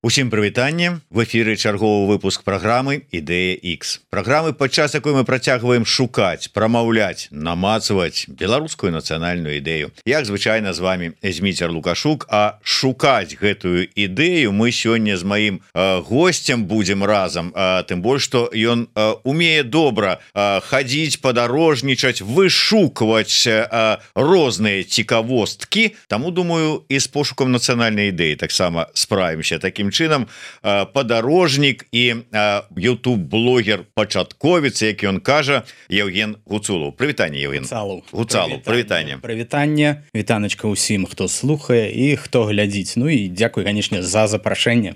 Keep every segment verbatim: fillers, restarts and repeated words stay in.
Усім прывітанне, в эфіры чарговы выпуск праграмы Ідэя X. Праграмы, падчас якой мы працягваем шукаць, прамаўляць, намацаваць беларускую нацыянальную ідэю. Як звычайна з вами Зміцер Лукашук, а шукаць гэтую ідэю мы сёння з маім э, госцем будзем разам, э, тым больш што ён э, умее добра э, хадзіць, падарожнічаць, вышукваць э, розныя цікавосткі. Таму думаю, і з пошукам нацыянальнай ідэі таксама справімся такім чынам. Падарожнік і YouTube-блогер пачатковец, як ён кажа, Евген Гуцулаў. Прывітанне, Евген. Гуцалаў, прывітанне. Прывітанне, вітаначка ўсім, хто слухае і хто глядзіць. Ну і дзякуй, канечне, за запрашэнне.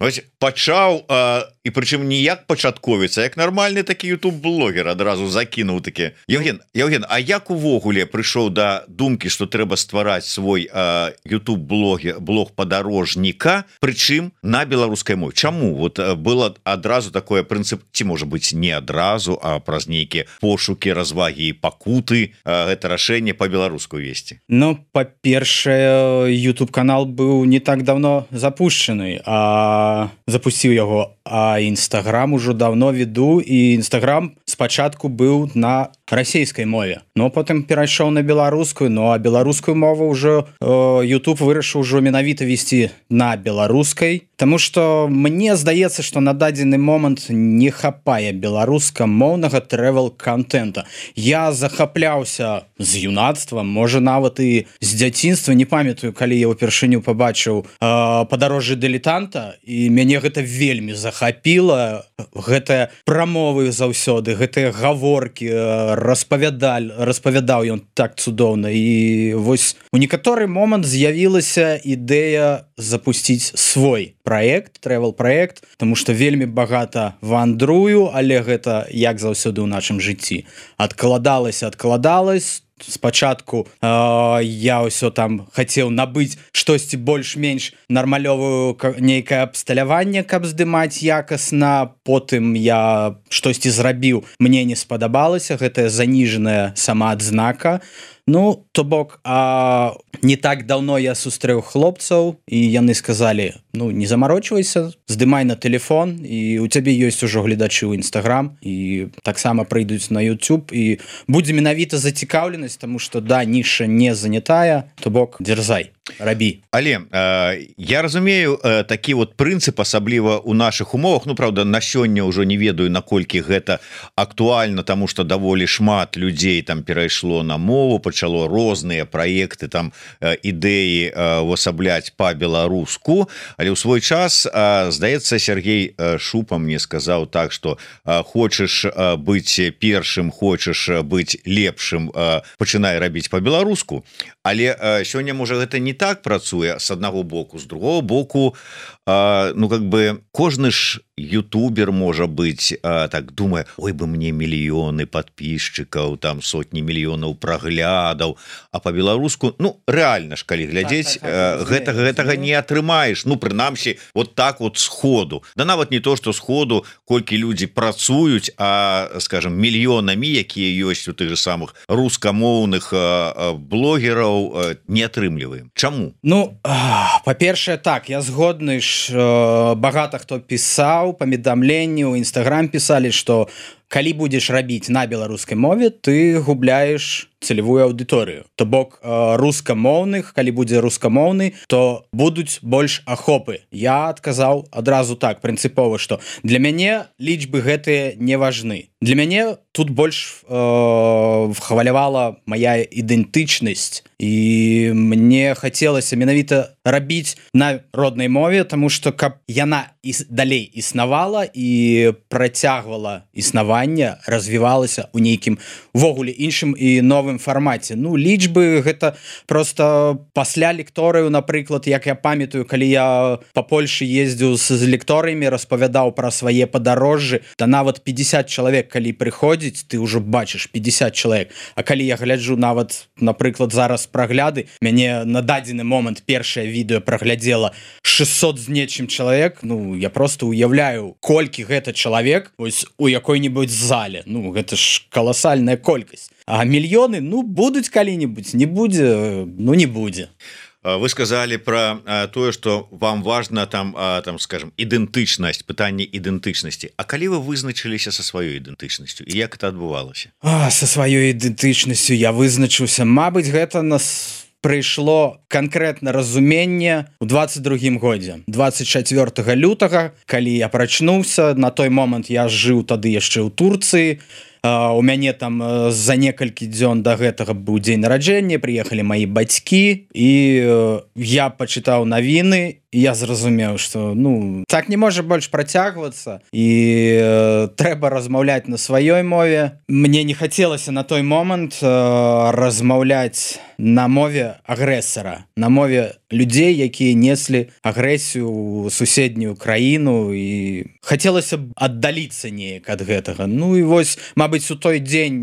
Вось пачаў, а, і прычым не як пачатковец, а як нармальны такі YouTube-блогер адразу закінуў такі. Евген, Евген, а як увогуле прыйшоў да думкі, што трэба ствараць свой а, YouTube-блог, блог падарожніка, прычым на беларускай мове? Чаму? Вот было адразу такое прынцып, ці можа быць не адразу, а праз нейкія пошукі, развагі і пакуты гэта рашэнне па-беларуску весці? Ну, па-першае, YouTube-канал быў не так давно запушчаны, а запусціў яго, а Instagram ужо давно веду, і Instagram спачатку быў на расійскай мове, но потым перайшоў на беларускую, ну а беларускую мову ўжо э, YouTube вырашыў ужо менавіта весці на беларускай, таму што мне здаецца, што на дадзены момант не хапае беларускамоўнага трэвел-кантэнта. Я захапляўся з юнацтва, можа нават і з дзяцінства, не памятаю, калі я ўпершыню пабачыў э, падарожжа дылетанта, і мяне гэта вельмі захапіла, гэтыя прамовы заўсёды, гэтыя гаворкі, э, распавядаль, распавядаў ён так цудоўна. І вось у некаторы момант з'явілася ідэя запусціць свой праект, трэвел-праект, таму што вельмі багата вандрую, але гэта, як заўсёды ў нашым жыцці, адкладалася, адкладалась. Спачатку э, я ўсё там хацеў набыць штосьці больш-менш нармалёвую нейкае абсталяванне, каб здымаць якасна, потым я штосьці зрабіў, мне не спадабалася, гэтая заніжаная самаадзнака. Ну, то бок, а не так даўно я сустрэў хлопцаў, і яны сказалі, ну, не замарочвайся, здымай на телефон, і у цябе ёсць ужо гледачы ў Instagram, і таксама прыйдуць на YouTube, і будзе менавіта зацікаўленасць, таму што, да, ніша не занятая, то бок, дзярзай, рабі. Але э, я разумею э, такі вот прынцып, асабліва ў нашых умовах, ну, правда, на сёння ўжо не ведаю, наколькі гэта актуальна, таму што даволі шмат людзей там перайшло на мову, пачало розныя праекты, там ідэі э, увасабляць па-беларуску, але ў свой час, э, здаецца, Сергей Шупа мне сказаў так, што э, хочаш э, быць першым, хочаш быць лепшым, э, пачынай рабіць па-беларуску, але э, сёння, можа, гэта не так працуе з аднаго боку, з другого боку, э, ну, как бы, кожны ж ютубер, можа быць, э, так думае, ой, бы мне мільёны подписчикаў, там сотні мільёнаў праглядаў, а по-беларуску, ну, реально ж, калі глядзець, так, так, так, э, гэтага, гэтага не атрымаеш, ну, прынамсі, вот так вот сходу. Да нават не то, што сходу, колькі людзі працуюць, а, скажем, мільёнамі, якія ёсць у тых же самых рускамоўных э, блогераў, э, не атрымліваем. Чаму? Ну, па-першае, так, я згодны ж, э, багата хто пісаў, паведамленні ў Instagram пісалі, што калі будзеш рабіць на беларускай мове, ты губляеш цэлевую аўдыторыю. То бок рускамоўных, калі будзе рускамоўны, то будуць больш ахопы. Я адказаў адразу так, прынцыпова, што для мяне лічбы гэтыя не важны. Для мяне тут больш э, хвалявала мая ідэнтычнасць, і мне хацелася менавіта рабіць на роднай мове, таму што каб яна іс, далей існавала і працягвала існаванне, развівалася ў нейкім ввогуле іншым і новым фармаце. Ну, лічбы гэта просто пасля лекторыю, напрыклад, як я памятаю, калі я па Польшы ездзіў з лекторыямі, распавядаў пра свае падарожжы, да нават пятьдесят чалавек, калі прыходзіць, ты ўжо бачыш пятьдесят чалавек. А калі я гляджу нават, напрыклад, зараз прагляды, мяне на дадзены момант першае відэо праглядзела шестьсот з нечым чалавек, ну, я просто уяўляю, колькі гэта чалавек вось у якой-небудзь зале. Ну, гэта ж каласальная колькасць. А мільёны, ну, будуць калі-небудзь, не будзе, ну, не будзе. Вы сказали про тое, что вам важно там там скажем ідэнтычнасць, пытанне ідэнтычнасці. А калі вы вызначыліся со сваёй ідэнтычнасцю і як это адбывалася? А, со сваёй ідэнтычнасцю я вызначыўся. Мабыць, гэта нас прыйшло канкрэтна разуменне ў двадцать другім годзе двадцать чацвёртага лютага, калі я прачнуўся. На той момант я жыў тады яшчэ ў Турцыі. Uh, у мяне там uh, за некалькі дзён да гэтага быў дзень нараджэння, прыехалі маі бацькі і uh, я пачытаў навіны, і я зразумеў, што ну так не можа больш працягвацца і uh, трэба размаўляць на сваёй мове. Мне не хацелася на той момант uh, размаўляць на мове агрэсара, на мове людзей, якія неслі агрэсію ў суседнюю краіну, і хацелася б аддаліцца неяк ад гэтага. Ну і вось, мабыць, у той дзень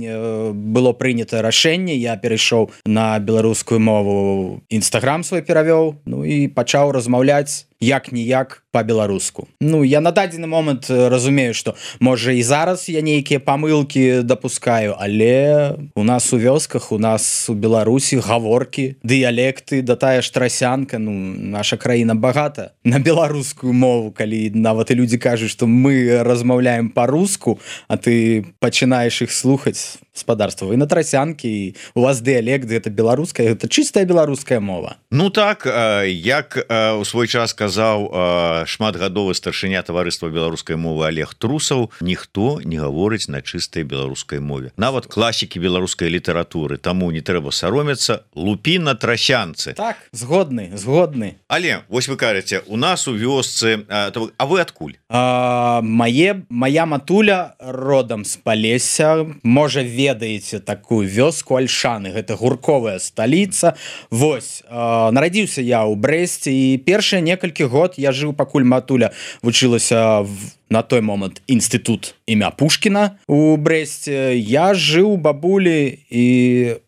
было прынята рашэнне, я перайшоў на беларускую мову, Інстаграм свой перавёў, ну і пачаў размаўляць як-ніяк па-беларуску. Ну, я на дадзены момант разумею, што можа і зараз я нейкія памылкі дапускаю, але у нас у вёсках, у нас у Беларусі гаворкі, дыялекты, да тая ж трасянка, ну, наша краіна багата на беларускую мову, калі нават і людзі кажуць, што мы размаўляем па-руску, а ты пачынаеш іх слухаць, спадарства, вы на трасянкі, і у вас дыялект, гэта беларуская, гэта чыстая беларуская мова. Ну так, як у свой час казаў шматгадовы старшыня таварыства беларускай мовы Олег Трусаў, ніхто не гаворыць на чыстай беларускай мове. Нават класікі беларускай літаратуры, таму не трэба саромецца, лупі на трасянцы. Так, згодны, згодны. Але, вось вы кажаце, у нас у вёсцы, а вы адкуль? А, мае, мая матуля родам з Палесся, можа ведаеце такую вёску Альшаны, гэта гурковая сталіца. Вось, а, нарадзіўся я ў Брэсце, і першыя некалькі год я жыў, пакуль матуля вучылася в, на той момант інстытут імя Пушкіна у Брэсце. Я жыў у бабулі, і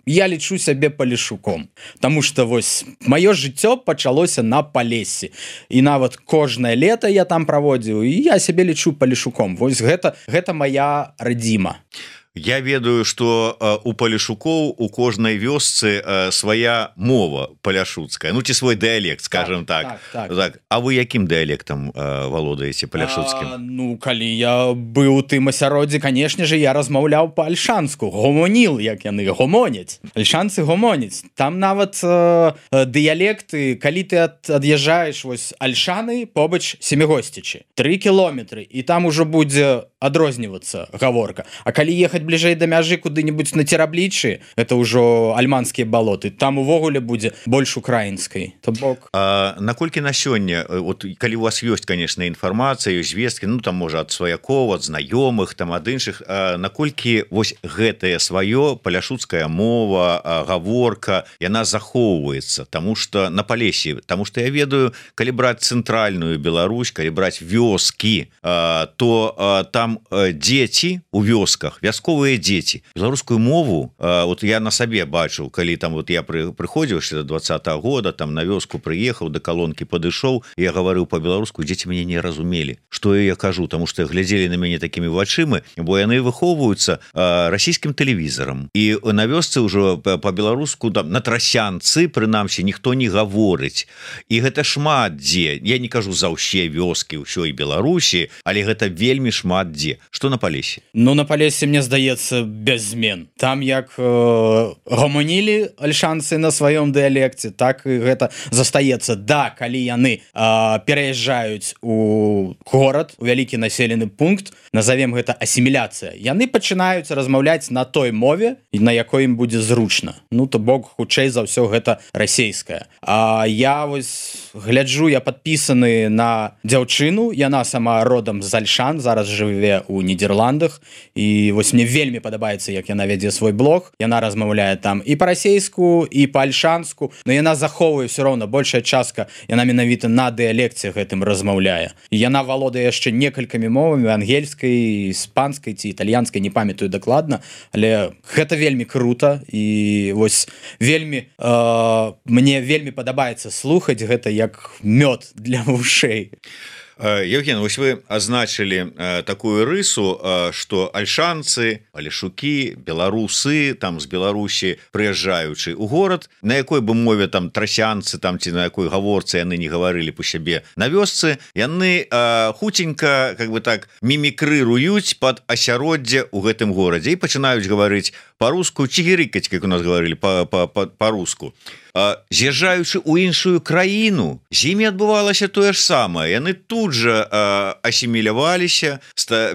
я лічу сябе палешуком, таму што вось маё жыццё пачалося на Палессі, і нават кожнае лета я там праводзіў, і я сябе лічу палешуком. Вось гэта, гэта моя радзіма. Я ведаю, што у палешукоў у кожнай вёсцы свая мова паляшуцкая, ну ці свой дыялект, скажем так, так, так. так. А вы якім дыялектам валодаеце паляшуцкім? А, ну, калі я быў у тым асяроддзі, канешне же, я размаўляў па-альшанску, гомоніл, як яны гомоняць. Альшанцы гомоняць. Там нават э, дыялекты, калі ты ад, ад'язджаеш вось Альшаны, побач Семігосцічы, тры кіламетры, і там ужо будзе адрознівацца гаворка. А калі ехаць бліжэй да мяжы куды-небудзь на Цераблічы, это ўжо альманскія балоты, там увогуле будзе больш украінскай. То бок. А наколькі на сёння, вот калі у вас ёсць, конечно, інфармацыя, ёсць звесткі, ну там можа ад сваякоў, ад знаёмых, там ад іншых, наколькі вось гэтае сваё паляшуцкая мова, гаворка, яна захоўваецца, таму што на Палесі, таму што я ведаю, калі браць цэнтральную Беларусь, калі браць вёскі, то там дзеці у вёсках, вясковыя дзеці, беларускую мову, вот я на сабе бачыў, калі там вот я прыходзіў ще до двадцатого года, там на вёску прыехаў, да калонкі падышоў, я гаварыў по-беларуску, дзеці мяне не разумелі, што я кажу, таму што глядзелі на мяне такімі вачымі, бо яны выхоўваюцца расійскім тэлевізарам, і на вёсцы ўжо по-беларуску там на трасянцы, прынамсі, ніхто не гаворыць, і гэта шмат дзе, я не кажу за ўсе вёскі ўсёй Беларусі, але гэта вельмі шмат дзе. Што на Палесе? Ну, на Палесе, мне здаецца, без змен. Там як э, гомонілі альшанцы на сваём дыялекце, так і гэта застаецца. Да, калі яны э, пераязджаюць у горад, у вялікі населены пункт, назовем гэта асіміляцыя, яны пачынаюць размаўляць на той мове, на якой ім будзе зручна. Ну, то бок, хутчэй за ўсё гэта расейская. А я вось гляджу, я падпісаны на дзяўчыну, яна сама родам з Альшан, зараз жыве ў Нідерландах, і вось мне вельмі падабаецца, як яна вядзе свой блог, яна размаўляе там і па-расейску, і па-альшанску, но яна захоўвае ўсё роўна, большая частка, яна менавіта на дыялекце гэтым размаўляе. І яна валодае яшчэ некалькімі мовамі, ангельскай, іспанскай ці італьянскай, не памятаю дакладна, але гэта вельмі крута, і вось вельмі, э, мне вельмі падабаецца слухаць гэта як мёд для вушэй. Евген, вось вы азначылі такую рысу, што альшанцы, алешукі, беларусы там з Беларусі прыязджаючы ў горад, на якой бы мове там трасянцы там ці на якой гаворцы яны не гаварылі па сябе на вёсцы, яны хуценька как бы так мімікрыруюць пад асяроддзе ў гэтым горадзе і пачынаюць гаварыць па-руску, чигирыкаць, как у нас гаварылі па-руску. З'язджаючы ў іншую краіну, з імі адбывалася тое ж самае. Яны тут жа асіміляваліся,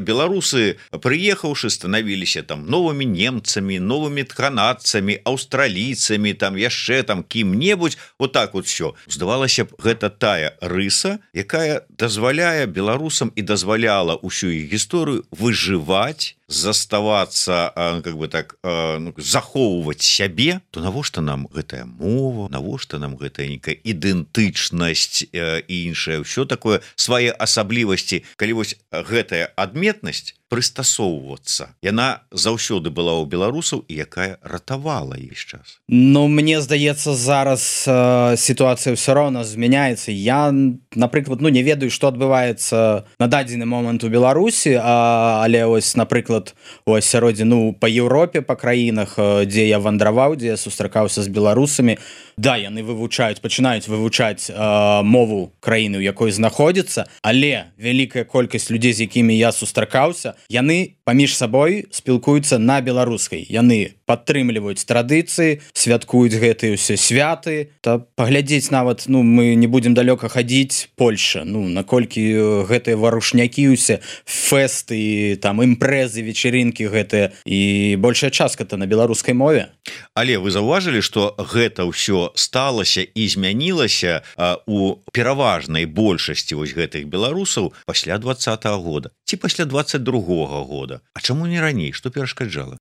беларусы, прыехаўшы, станавіліся там новымі немцамі, новымі канадцамі, аўстралійцамі, там яшчэ там кім-небудзь, вот так вот все. Здавалася б, гэта тая рыса, якая дазваляе беларусам і дазваляла ўсю іх гісторыю выжываць, заставацца как бы так ну, захоўваць сябе, то навошта нам гэтая мова, навошта нам гэтая нейкая ідэнтычнасць і іншае ўсё такое свае асаблівасці, калі вось гэтая адметнасць прыстасоўвацца, яна заўсёды была ў беларусаў і якая ратавала іх час. Ну мне здаецца, зараз э, сітуацыя ўсё роўна змяняецца. Я, напрыклад, ну не ведаю, што адбываецца на дадзены момант у Беларусі, а, але ось, напрыклад, у асяроддзі, ну па Еўропе, па краінах, дзе я вандраваў, дзе я сустракаўся з беларусамі, да, яны вывучаюць, пачынаюць вывучаць э, мову краіны, у якой знаходзіцца, але вялікая колькасць людзей, з якімі я сустракаўся, яны паміж сабой спілкуюцца на беларускай. Яны падтрымліваюць традыцыі, святкуюць гэтыя ўсе святы. Та паглядзець нават, ну мы не будзем далёка хадзіць, Польша, ну наколькі гэтыя варушнякі ўсе, фэсты, там імпрэзы, вечеринкі гэтыя, і большая частка-то на беларускай мове. Але вы заўважылі, што гэта ўсё сталася і змянілася а, у пераважнай большасці вось гэтых беларусаў пасля двадцатага года ці пасля двадцать другога года. А чаму не раней? Што перашкаджала?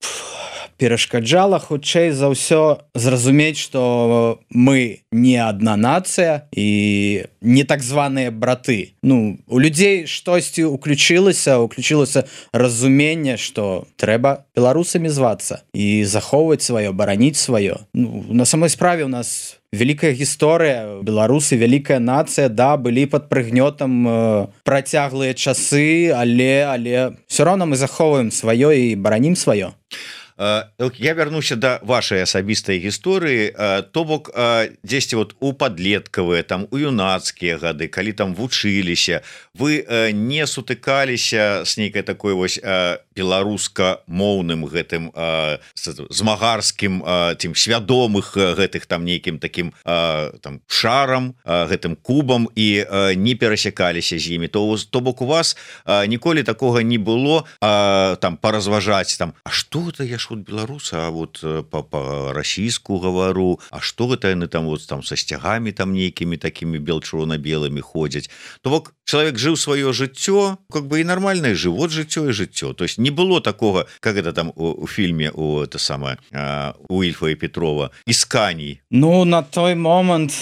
Перашкаджала хутчэй за ўсё зразумець, што мы не адна нацыя і не так званыя браты. Ну, у людзей штосьці уключылася, уключылася разуменне, што трэба беларусамі звацца і захоўваць сваё, бараніць сваё. Ну, на самой справе у нас вялікая гісторыя, беларусы, вялікая нацыя, да, былі пад прыгнётам э, працяглыя часы, але, але все роўна мы захоўваем сваё і баранім сваё. Я вярнуся да вашай асабістай гісторыі, то бок дзесьці вот у падлеткавыя, там у юнацкія гады, калі там вучыліся, вы не сутыкаліся з нейкай такой вось беларуска-моўным гэтым змагарскім тым свядомых гэтых там нейкім такім там шарам, гэтым кубам і не перасякаліся з імі, то то бок у вас ніколі такога не было там паразважаць там, а што гэта я вот беларуса, а вот по-расійску гавару, а што гэта яны там вот там са сцягамі там нейкімі такімі бел-чырвона-белымі ходзяць. То бок чалавек жыў сваё жыццё, как бы і нармальнае жывот жыццё і жыццё. То есть не было такога, как это там у, у фільме у это самае у Ільфа і Петрова «Ісканій». Ну на той момант,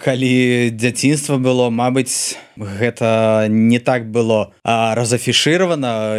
калі дзяцінства было, мабыць, гэта не так было разафішыравана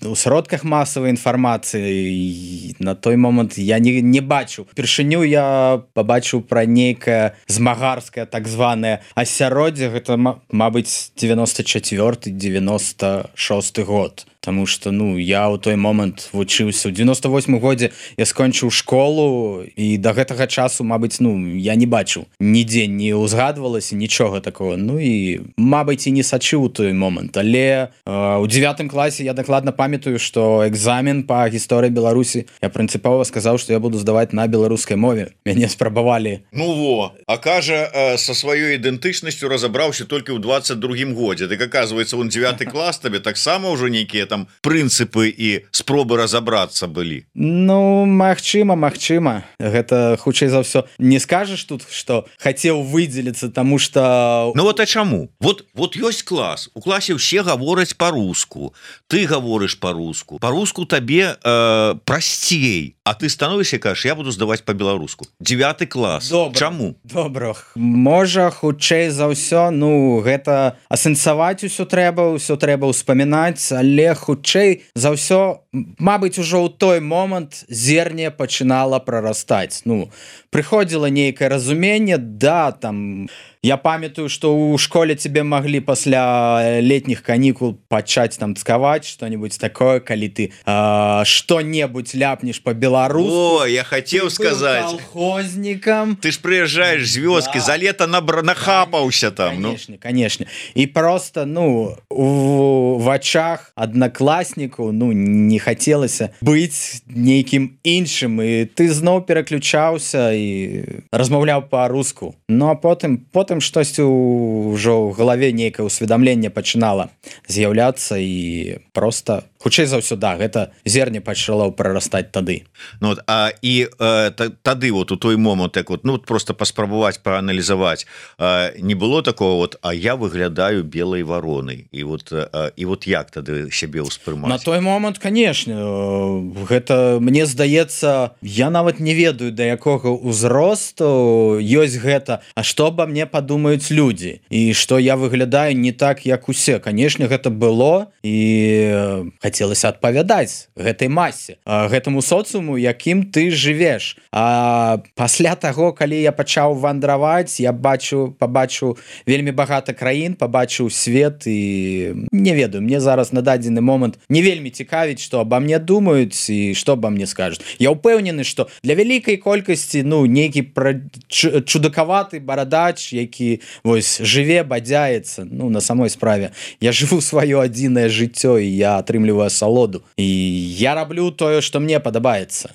у сродках масавай інфармацыі. На той момант я не, не бачу. Першыню я пабачыў пра нейкае змагарскае так званае асяроддзе, гэта, мабыць, девяносто четвёрты девяносто шосты год. Таму што, ну, я ў той момант вучыўся. У девяносто восьмым годзе я скончыў школу, і да гэтага часу, мабыць, ну, я не бачыў. Нідзе не ўзгадвалася, нічога такого. Ну і, мабыць, і не сачыў у той момант. Але э, у дзевятым класе я дакладна памятаю, што экзамен па гісторыі Беларусі я прынцыпова сказаў, што я буду здаваць на беларускай мове. Мяне спрабавалі. Ну во, а кажа, э, са сваёй ідэнтычнасцю разабраўся толькі ў двадцать другім годзе. Дык, аказваецца, он дзевяты клас табе таксама ўжо нейкія там прынцыпы і спробы разабрацца былі. Ну, магчыма, магчыма. Гэта хутчэй за ўсё. Не скажаш тут, што хацеў выдзеліцца, таму што... Ну вот а чаму? Вот, вот ёсць клас. У класе ўсе гавораць па-руску. Ты гаворыш па-руску. Па-руску табе э, прасцей. А ты становішся, кажаш, я буду здаваць па-беларуску. Дзевяты клас. Добра, чаму? Добра. Можа, хутчэй за ўсё, ну, гэта асэнсаваць усё трэба, усё трэба ўспамінаць, але хутчэй за ўсё, мабыць, ужо ў той момант зерне пачынала прарастаць. Ну, прыходзіла нейкае разуменне, да, там я памятаю, что у школе тебе могли пасля летних каникул пачаць там цкаваць что-нибудь такое, калі ты э, что-небудзь ляпнешь по-беларуску. О, я хотел сказать. Колхозником. Ты ж приезжаешь з вёски, да. За лето набра... нахапаўся там. Конечно, ну. конечно. И просто, ну, у, в очах однокласснику, ну, не хотелось быть неким іншым, и ты зноў переключаўся и размаўляў по-руску. Ну, а потым, потым штось ўжо ў галаве нейкае усведомленне пачынала з'яўляцца, и просто, хутчэй за ўсё, да, гэта зерне пачало прарастаць тады. Ну, вот, а і э, тады вот у той момант, так вот, ну, просто паспрабаваць прааналізаваць, э, не было такого вот, а я выглядаю белой варонай, і вот, э, і вот як тады сябе ўспрымаць? На той момант, конечно, гэта, мне здаецца, я нават не ведаю, да якога ўзросту ёсць гэта, а што обо мне падумаюць людзі, і што я выглядаю не так, як усе. Конечно, гэта было, і хацелася адпавядаць гэтай масе, гэтаму соцыуму, якім ты жывеш. А пасля таго, калі я пачаў вандраваць, я бачу, пабачыў вельмі багата краін, пабачыў свет, і не ведаю, мне зараз на дадзены момант не вельмі цікавіць, што обо мне думаюць і што обо мне скажуць. Я ўпэўнены, што для вялікай колькасці, ну, нейкі пра... чудакаваты барадач, які вось жыве, бадзяецца, ну, на самой справе. Я жыву сваё адзінае жыццё, і я атрымліваю асалоду. І я раблю тое, што мне падабаецца.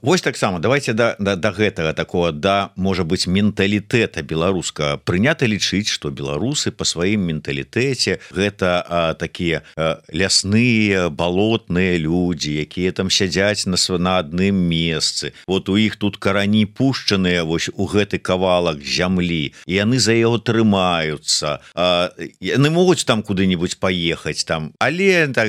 Вось таксама давайте да, да, да гэтага такого, да, можа быть, менталітэта беларуска. Прынята лічыць, што беларусы па сваім менталітэце гэта а, такія а, лясныя, балотныя людзі, якія там сядзяць на, на адным месцы. Вот у іх тут карані пушчаныя вось у гэты кавалак зямлі, і яны за яго трымаюцца. А, яны могуць там куды-нибудь паехаць там, але так,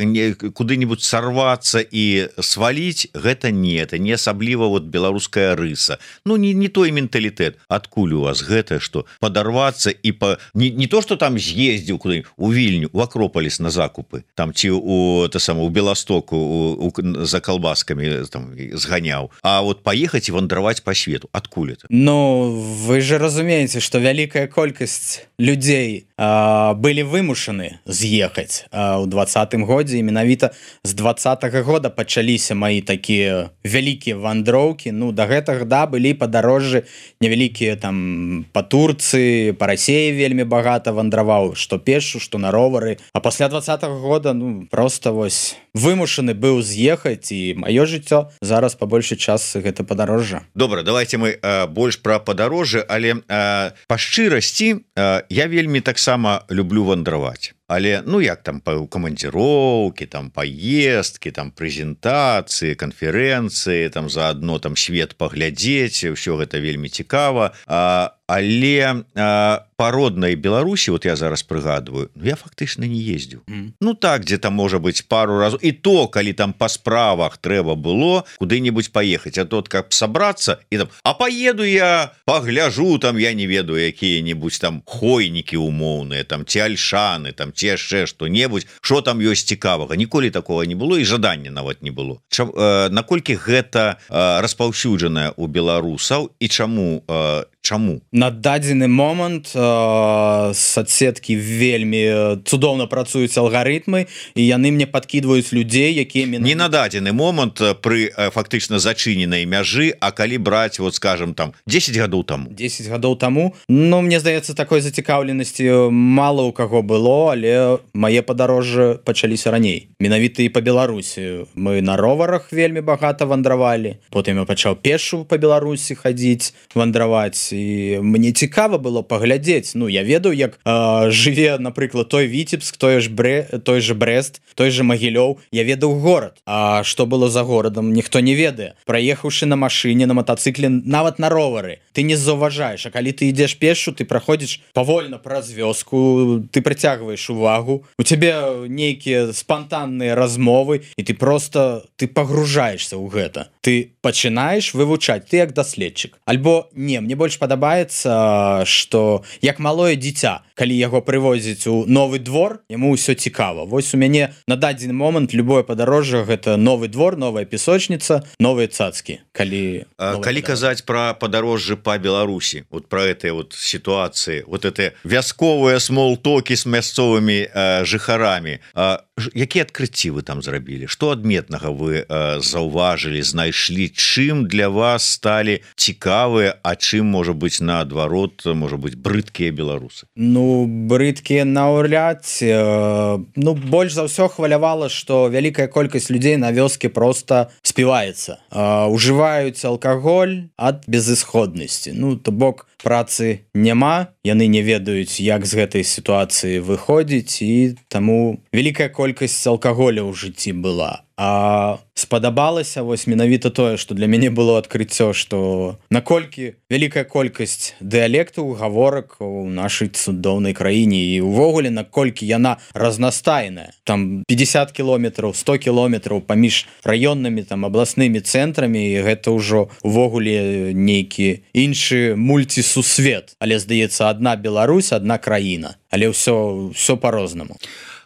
куды-нибудь сарвацца і сваліць, гэта не, это не асабліва вот беларуская рыса. Ну, не, не той менталітэт. Адкуль у вас гэта, што падарвацца і па... не, не то, што там з'ездзіў куды у Вільню, у Акропаліс на закупы, там ці у, та сама, у Беластоку у, у, за калбаскамі там зганяў, а вот паехаць і вандраваць па свету. Адкуль это? Ну, вы же разумееце, што вялікая колькасць людзей а, былі вымушаны з'ехаць а, ў двадцатым годзе, і менавіта з двадцатага года пачаліся мои такія вялікія вандроўкі. Ну, да гэтага, да, былі падарожжы невялікія там па Турцыі, па Расеі вельмі багата вандраваў, што пешшу, што на ровары. А пасля двадцатага года, ну, просто вось вымушаны быў з'ехаць, і маё жыццё зараз па большай частцы гэта падарожжа. Добра, давайте мы э, больш пра падарожжы, але э, па шчырасці э, я вельмі таксама люблю вандраваць. Але, ну, як там па камандзіроўкі, там паездкі, там прэзентацыі, канферэнцыі, там заадно там свет паглядзець, ўсё гэта вельмі цікава. А, але а, па роднай Беларусі, вот я зараз прыгадваю, ну, я фактычна не ездзіў. Mm. Ну, так, дзе там, можа быць, пару разоў. І то, калі там па справах трэба было куды-нибудь паехаць, а то, каб сабрацца, і там, а паеду я, пагляжу, там, я не ведаю, якія-нибудь там хойнікі умоўныя, там, ці альшаны, там, ці яшчэ што-небудзь, што там ёсць цікавага. Ніколі такого не было, і жадання нават не было. Ча, э, наколькі гэта э, распаўсюджанае ў беларусаў, і чаму э, чаму? На дадзены момант э, соцсеткі вельмі цудоўна працуюць алгарытмы, і яны мне падкідваюць людзей, якія менавіта... Не на дадзены момант пры э, фактычна зачыненай мяжы, а калі браць, вот скажем, там дзесяць гадоў таму. дзесяць гадоў таму. Ну, мне здаецца, такой зацікаўленасці мала ў каго было, але мае падарожжы пачаліся раней. Менавіта і па Беларусі. Мы на роварах вельмі багата вандравалі. Потым я пачаў пешшу па Беларусі хадзіць, вандраваць. І мне цікава было паглядзець. Ну, я ведаю, як э, жыве, напрыклад, той Віцебск, той ж, Бре, той же Брест, той же Магілёў. Я ведаў горад. А што было за горадам, ніхто не ведае. Праехаўшы на машыне, на матацыкле, нават на ровары, ты не заўважаеш. А калі ты ідзеш пешшу, ты праходзіш павольна праз вёску, ты прыцягваеш увагу, у цябе нейкія спантанныя размовы, і ты просто ты пагружаешься ў гэта. Ты пачынаеш вывучаць, ты як даследчык. Альбо не, мне больш падабаецца, што як малое дзіця, калі яго прывозіць у новы двор, яму ўсё цікава. Вось у мяне на дадзены момант любое падарожжа гэта новы двор, новая песочніца, новыя цацкі. Калі, калі казаць пра падарожжы по Беларуси, вот про этой вот ситуации, вот это вясковые смолтоки с мясцовыми э, жыхарамі. Э, якія адкрыцці вы там зрабілі? Што адметнага вы э, заўважылі, знайшлі? Чым для вас сталі цікавыя, а чым, можа быць, наадварот, можа быць, брыдкія беларусы? Ну, брыдкія наўряд. Э, ну, больш за ўсё хвалявала, што вялікая колькасць людзей на вёске просто співаецца. Э, ужываюць алкаголь ад безысходнасці. Ну, то бок, працы няма, яны не ведаюць, як з гэтай сітуацыі выходзіць, і таму вялікая колькасць алкаголя ў жыцці была. А спадабалася вось менавіта тое, што для мяне было адкрыццё, што наколькі вялікая колькасць дыялектаў, гаворак у нашай цудоўнай краіне, і ўвогуле наколькі яна разнастайная. Там пятьдесят кіламетраў, сто кіламетраў паміж раённымі, там абласнымі цэнтрамі, і гэта ўжо увогуле нейкі іншы мульцісусвет. Але здаецца, адна Беларусь, адна краіна, але ўсё ўсё по-рознаму.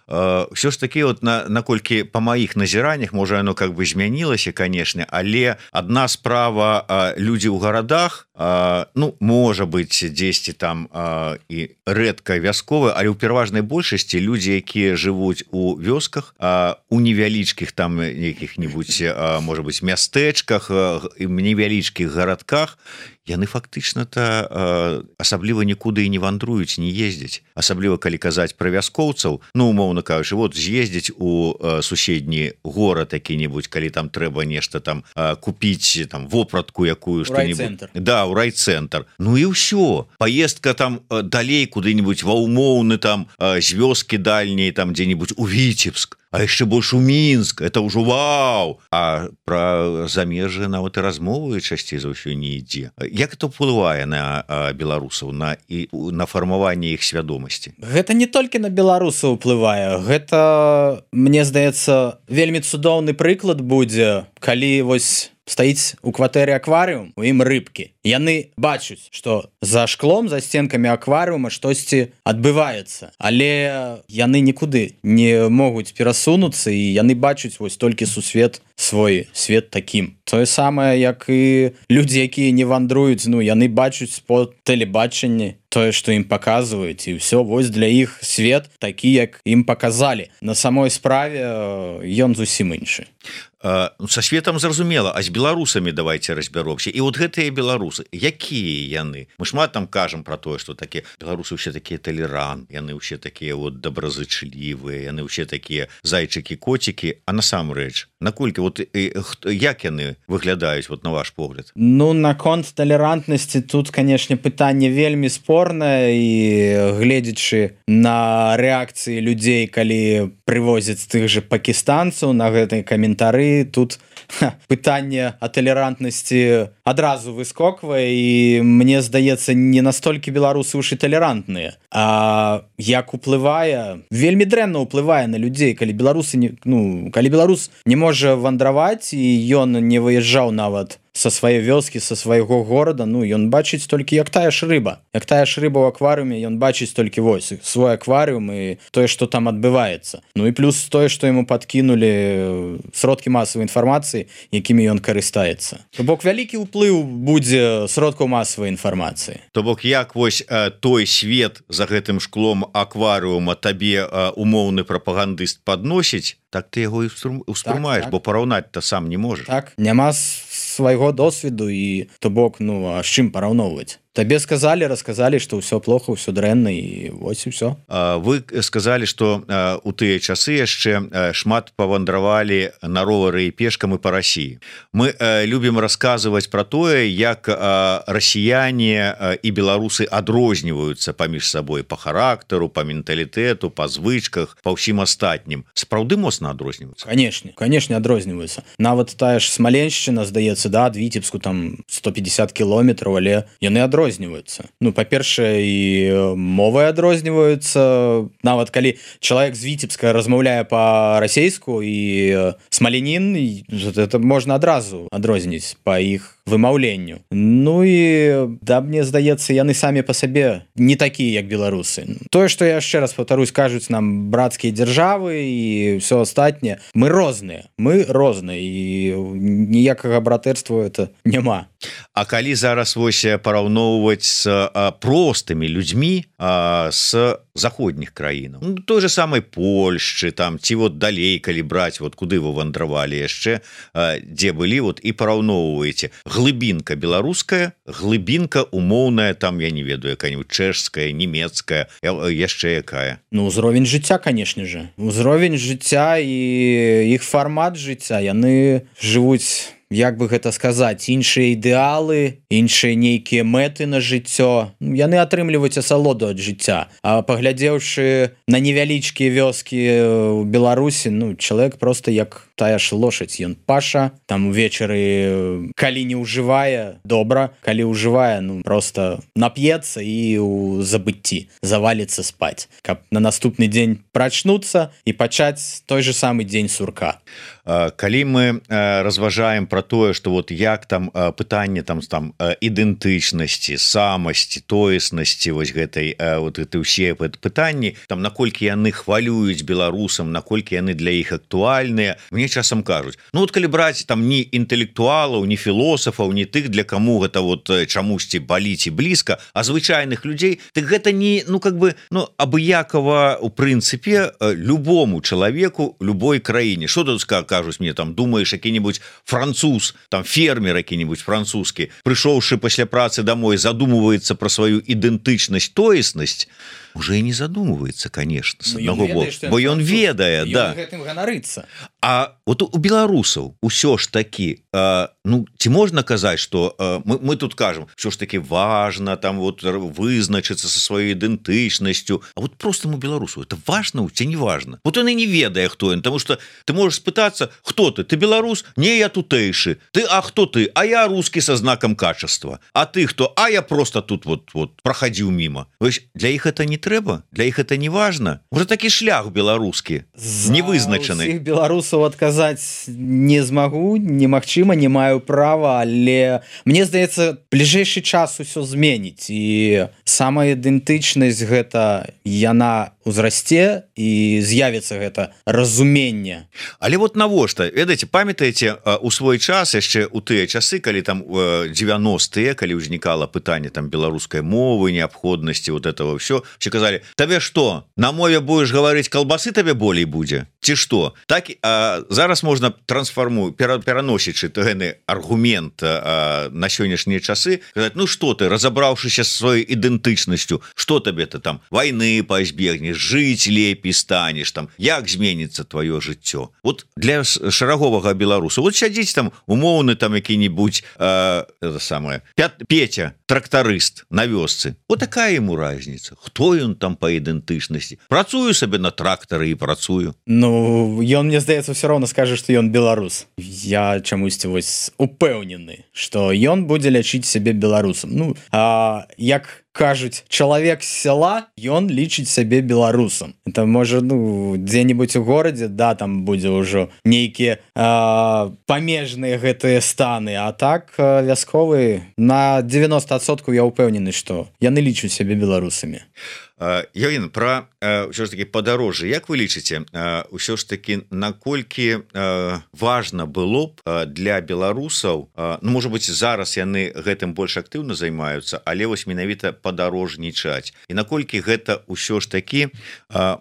Все ж таки, вот на, наколькі по маіх назіраннях, можа, оно как бы змянілася, конечно, але одна справа, люди ў гарадах, ну, можа быть, дзесьці там і рэдка вясковыя, але ў пераважнай большасці люди, якія жывуць у вёсках, у невялічкіх там якіх-нибудь, можа быть, мястэчках, невялічкіх гарадках, яны фактычна-то асабліва нікуды і не вандруюць, не ездзяць. Асабліва, калі казаць пра вяскоўцаў, ну, умоўна кажучы, вот з'ездзіць у суседні горад які-нибудь, калі там трэба нешта там купіць, там, вопратку якую, што-нибудь. Да, у райцэнтр. Ну і ўсё. Паездка там далей куды-нибудь ва ўмоўны там з вёскі дальняй, там дзе-нибудь у Віцебск, а яшчэ больш у Мінск, это ўжо вау! А пра замежжа нават і размовы часцей за ўсё не ідзе. Як это ўплывае на беларусаў, на, і, на фармаванне іх свядомасці? Гэта не толькі на беларусаў уплывае. Гэта, мне здаецца, вельмі цудоўны прыклад будзе, калі вось стаіць у кватэры акварыум, у ім рыбкі. Яны бачуць, што за шклом, за сценкамі акварыума штосьці адбываецца, але яны нікуды не могуць перасунуцца, і яны бачуць вось толькі сусвет свой, свет такім. Тое самае, як і людзі, якія не вандруюць, ну, яны бачуць по тэлебачанні тое, што ім паказваюць, і ўсё, вось для іх свет такі, як ім паказалі. На самой справе ён зусім іншы. Са светам зразумела, а з беларусамі давайте разбяромся. І вот гэтыя беларусы, якія яны? Мы шмат там кажам пра тое, што такія беларусы ўсе такія талерант, яны ўсе такія вот добразычлівыя, яны ўсе такія зайчыкі-коцікі, а насамрэч, наколькі вот як яны выглядаюць вот на ваш погляд? Ну, наконт талерантнасці тут, канешне, пытанне вельмі спорнае, і гледзячы на рэакцыі людзей, калі прывозяць тых же пакістанцаў на гэтыя каментары, тут ха, пытанне о талерантнасці адразу выскоквае, і мне здаецца, не настолькі беларусы ўжо талерантныя, а як уплывае, вельмі дрэнна ўплывае на людзей, калі беларусы не, ну, калі беларус не можа вандраваць, і ён не выязджаў нават са сваёй вёскі, са свайго горада, ну, ён бачыць толькі як тая ж рыба. Як тая ж рыба ў акварыуме, ён бачыць толькі вось свой акварыум і тое, што там адбываецца. Ну і плюс тое, што яму падкінулі сродкі масавай інфармацыі, якімі ён карыстаецца. То бок вялікі ўплыў будзе сродкаў масавай інфармацыі. То бок як вось э, той свет за гэтым шклом акварыума табе э, умоўны прапагандыст падносіць, так ты яго і ўспрымаеш, так, так. Бо параўнаць-то сам не можаш. Так, няма свайго досведу, і то бок, ну, а з чым параўноўваць? Табе сказалі, расказалі, што ўсё плохо, ўсё дрэнна, і вось і ўсё. Вы сказалі, што у тыя часы яшчэ шмат павандравалі на ровары і пешкам і па Расіі. Мы любім расказваць пра тое, як расіяне і беларусы адрозніваюцца паміж сабой па характару, па менталітэту, па звычках, па ўсім астатнім. Сапраўды моцна адрозніваюцца? Канешне, канешне адрозніваюцца. Нават тая ж Смаленшчына, здаецца, да, ад Віцебску там сто пятьдесят кіламетраў, але яны адрозніваюцца. Ну, па-першае, і мовы адрозніваюцца. Нават калі чалавек з Віцебска размаўляе па-расейску, і смалянін, это можна адразу адрозніць па іх вымаўленню. Ну і да, мне здаецца, яны самі па сабе не такія, як беларусы. Тое, што я яшчэ раз паўтарусь, кажуць нам брацкія дзяржавы і ўсё астатняе, мы розныя, мы розныя і ніякага братэрства это няма. А калі зараз вось параўноўваць з а, простымі людзьмі а, з заходніх краінаў, ну, той же самай Польшчы там ці вот далей, калі браць вот куды вы вандравалі яшчэ, а, дзе былі вот і параўноўваеце глыбінка беларуская, глыбінка умоўная, там я не ведаю, якая-нибудь чэшская, нямецкая, яшчэ якая. Ну, ўзровень жыцця, конечно же, ўзровень жыцця і іх фармат жыцця, яны жывуць, як бы гэта сказаць, іншыя ідэалы, іншыя нейкія мэты на жыццё, яны атрымліваюць асалоду ад жыцця. А паглядзеўшы на невялічкія вёскі ў Беларусі, ну, чалавек просто як тая ж лошадь, ён паша, там увечары, калі не ўжывае, добра, калі ўжывае, ну, просто нап'ецца і ў забыцці заваліцца спаць, каб на наступны дзень прачнуцца і пачаць той же самы дзень сурка. Калі мы разважаем про тое, что вот як там пытанне там там ідэнтычнасці, самасці, тоеснасці вось гэтай вот это ўсе пытанні, там наколькі яны хвалююць беларусам, наколькі яны для іх актуальныя, мне часам кажуць, ну вот калі браць там ні інтэлектуалаў, ні філосафаў, ні тых, для каму гэта вот чамусьці баліць і блізка, а звычайных людзей, так гэта не, ну как бы, ну абыякова у прынцыпе любому чалавеку любой краіне. Что тут скажу? Кажуць мне, там думаешь, які-нибудь француз, там фермер які-нибудь французскі, прыйшоўшы пасля працы домой, задумывается про сваю ідэнтычнасць, тоеснасць, уже и не задумывается, конечно, с одного боку, бо ён ведае, да. Гэтым ганарыцца. А вот у беларусаў усё ж таки, э, ну, ці можна казаць, что э, мы, мы тут кажем, все ж таки важно там вот вызначыцца со сваёй ідэнтычнасцю, а вот простому беларусу это важно ці не важно? Вот он и не ведае, хто ён, потому что ты можешь спытаться, кто ты? Ты беларус? Не, я тутэйшы. Ты, а кто ты? А я русский со знаком качества. А ты кто? А я просто тут вот, вот проходил мимо. Для іх это не трэба? Для іх это не важно? Уже такі шлях беларускі, не вызначаны. Усіх беларусаў адказаць не змагу, немагчыма, не маю права, але мне здаецца, бліжэйшы час усё зменіць, і самая ідэнтычнасць гэта яна узрасце і з'явіцца гэта разуменне. Але вот навошта, ведаеце, памятаеце у свой час яшчэ у тыя часы, калі там дзевяностыя, калі ўзнікала пытанне там беларускай мовы, неабходнасці вот этого все, все казалі, табе что, на мове будешь говорить, колбасы табе болей будзе ці что? Так а, зараз можна трансформу пераносячы гэны аргумент а, на сённяшнія часы, казаць, ну что ты, разабраўшыся з сваёй ідэнтычнасцю, что табе ты там войны пазбегнеш, жыць лепей станеш, там як зменіцца твоё жыццё? Вот для шараговага беларуса, вот сядзіць там умоўны там які-нибудь а, это самое Петя, трактарыст на вёсцы, вот такая ему разница, хто ён там по ідэнтычнасці? Працую сабе на трактары і працую. Ну, ён, мне здаецца, все роўна скажа, што ён беларус. Я чамусьці вось упэўнены, што ён будзе лячыць сябе беларусам. Ну, а як кажуць, чалавек з сяла, ён лічыць сябе беларусам. Это можа, ну, дзе-нибудь у горадзе, да, там будзе ўжо нейкія памежныя гэтыя станы, а так вясковы на девяносто адсоткаў я ўпэўнены, што яны лічуць сябе беларусамі. Явін, пра ўсё ж таки падарожжа, як вы лічыце, ўсё ж таки наколькі важна было б для беларусаў, ну, можа быць, зараз яны гэтым больш актыўна займаюцца, але вось менавіта падарожнічаць, і наколькі гэта ўсё ж таки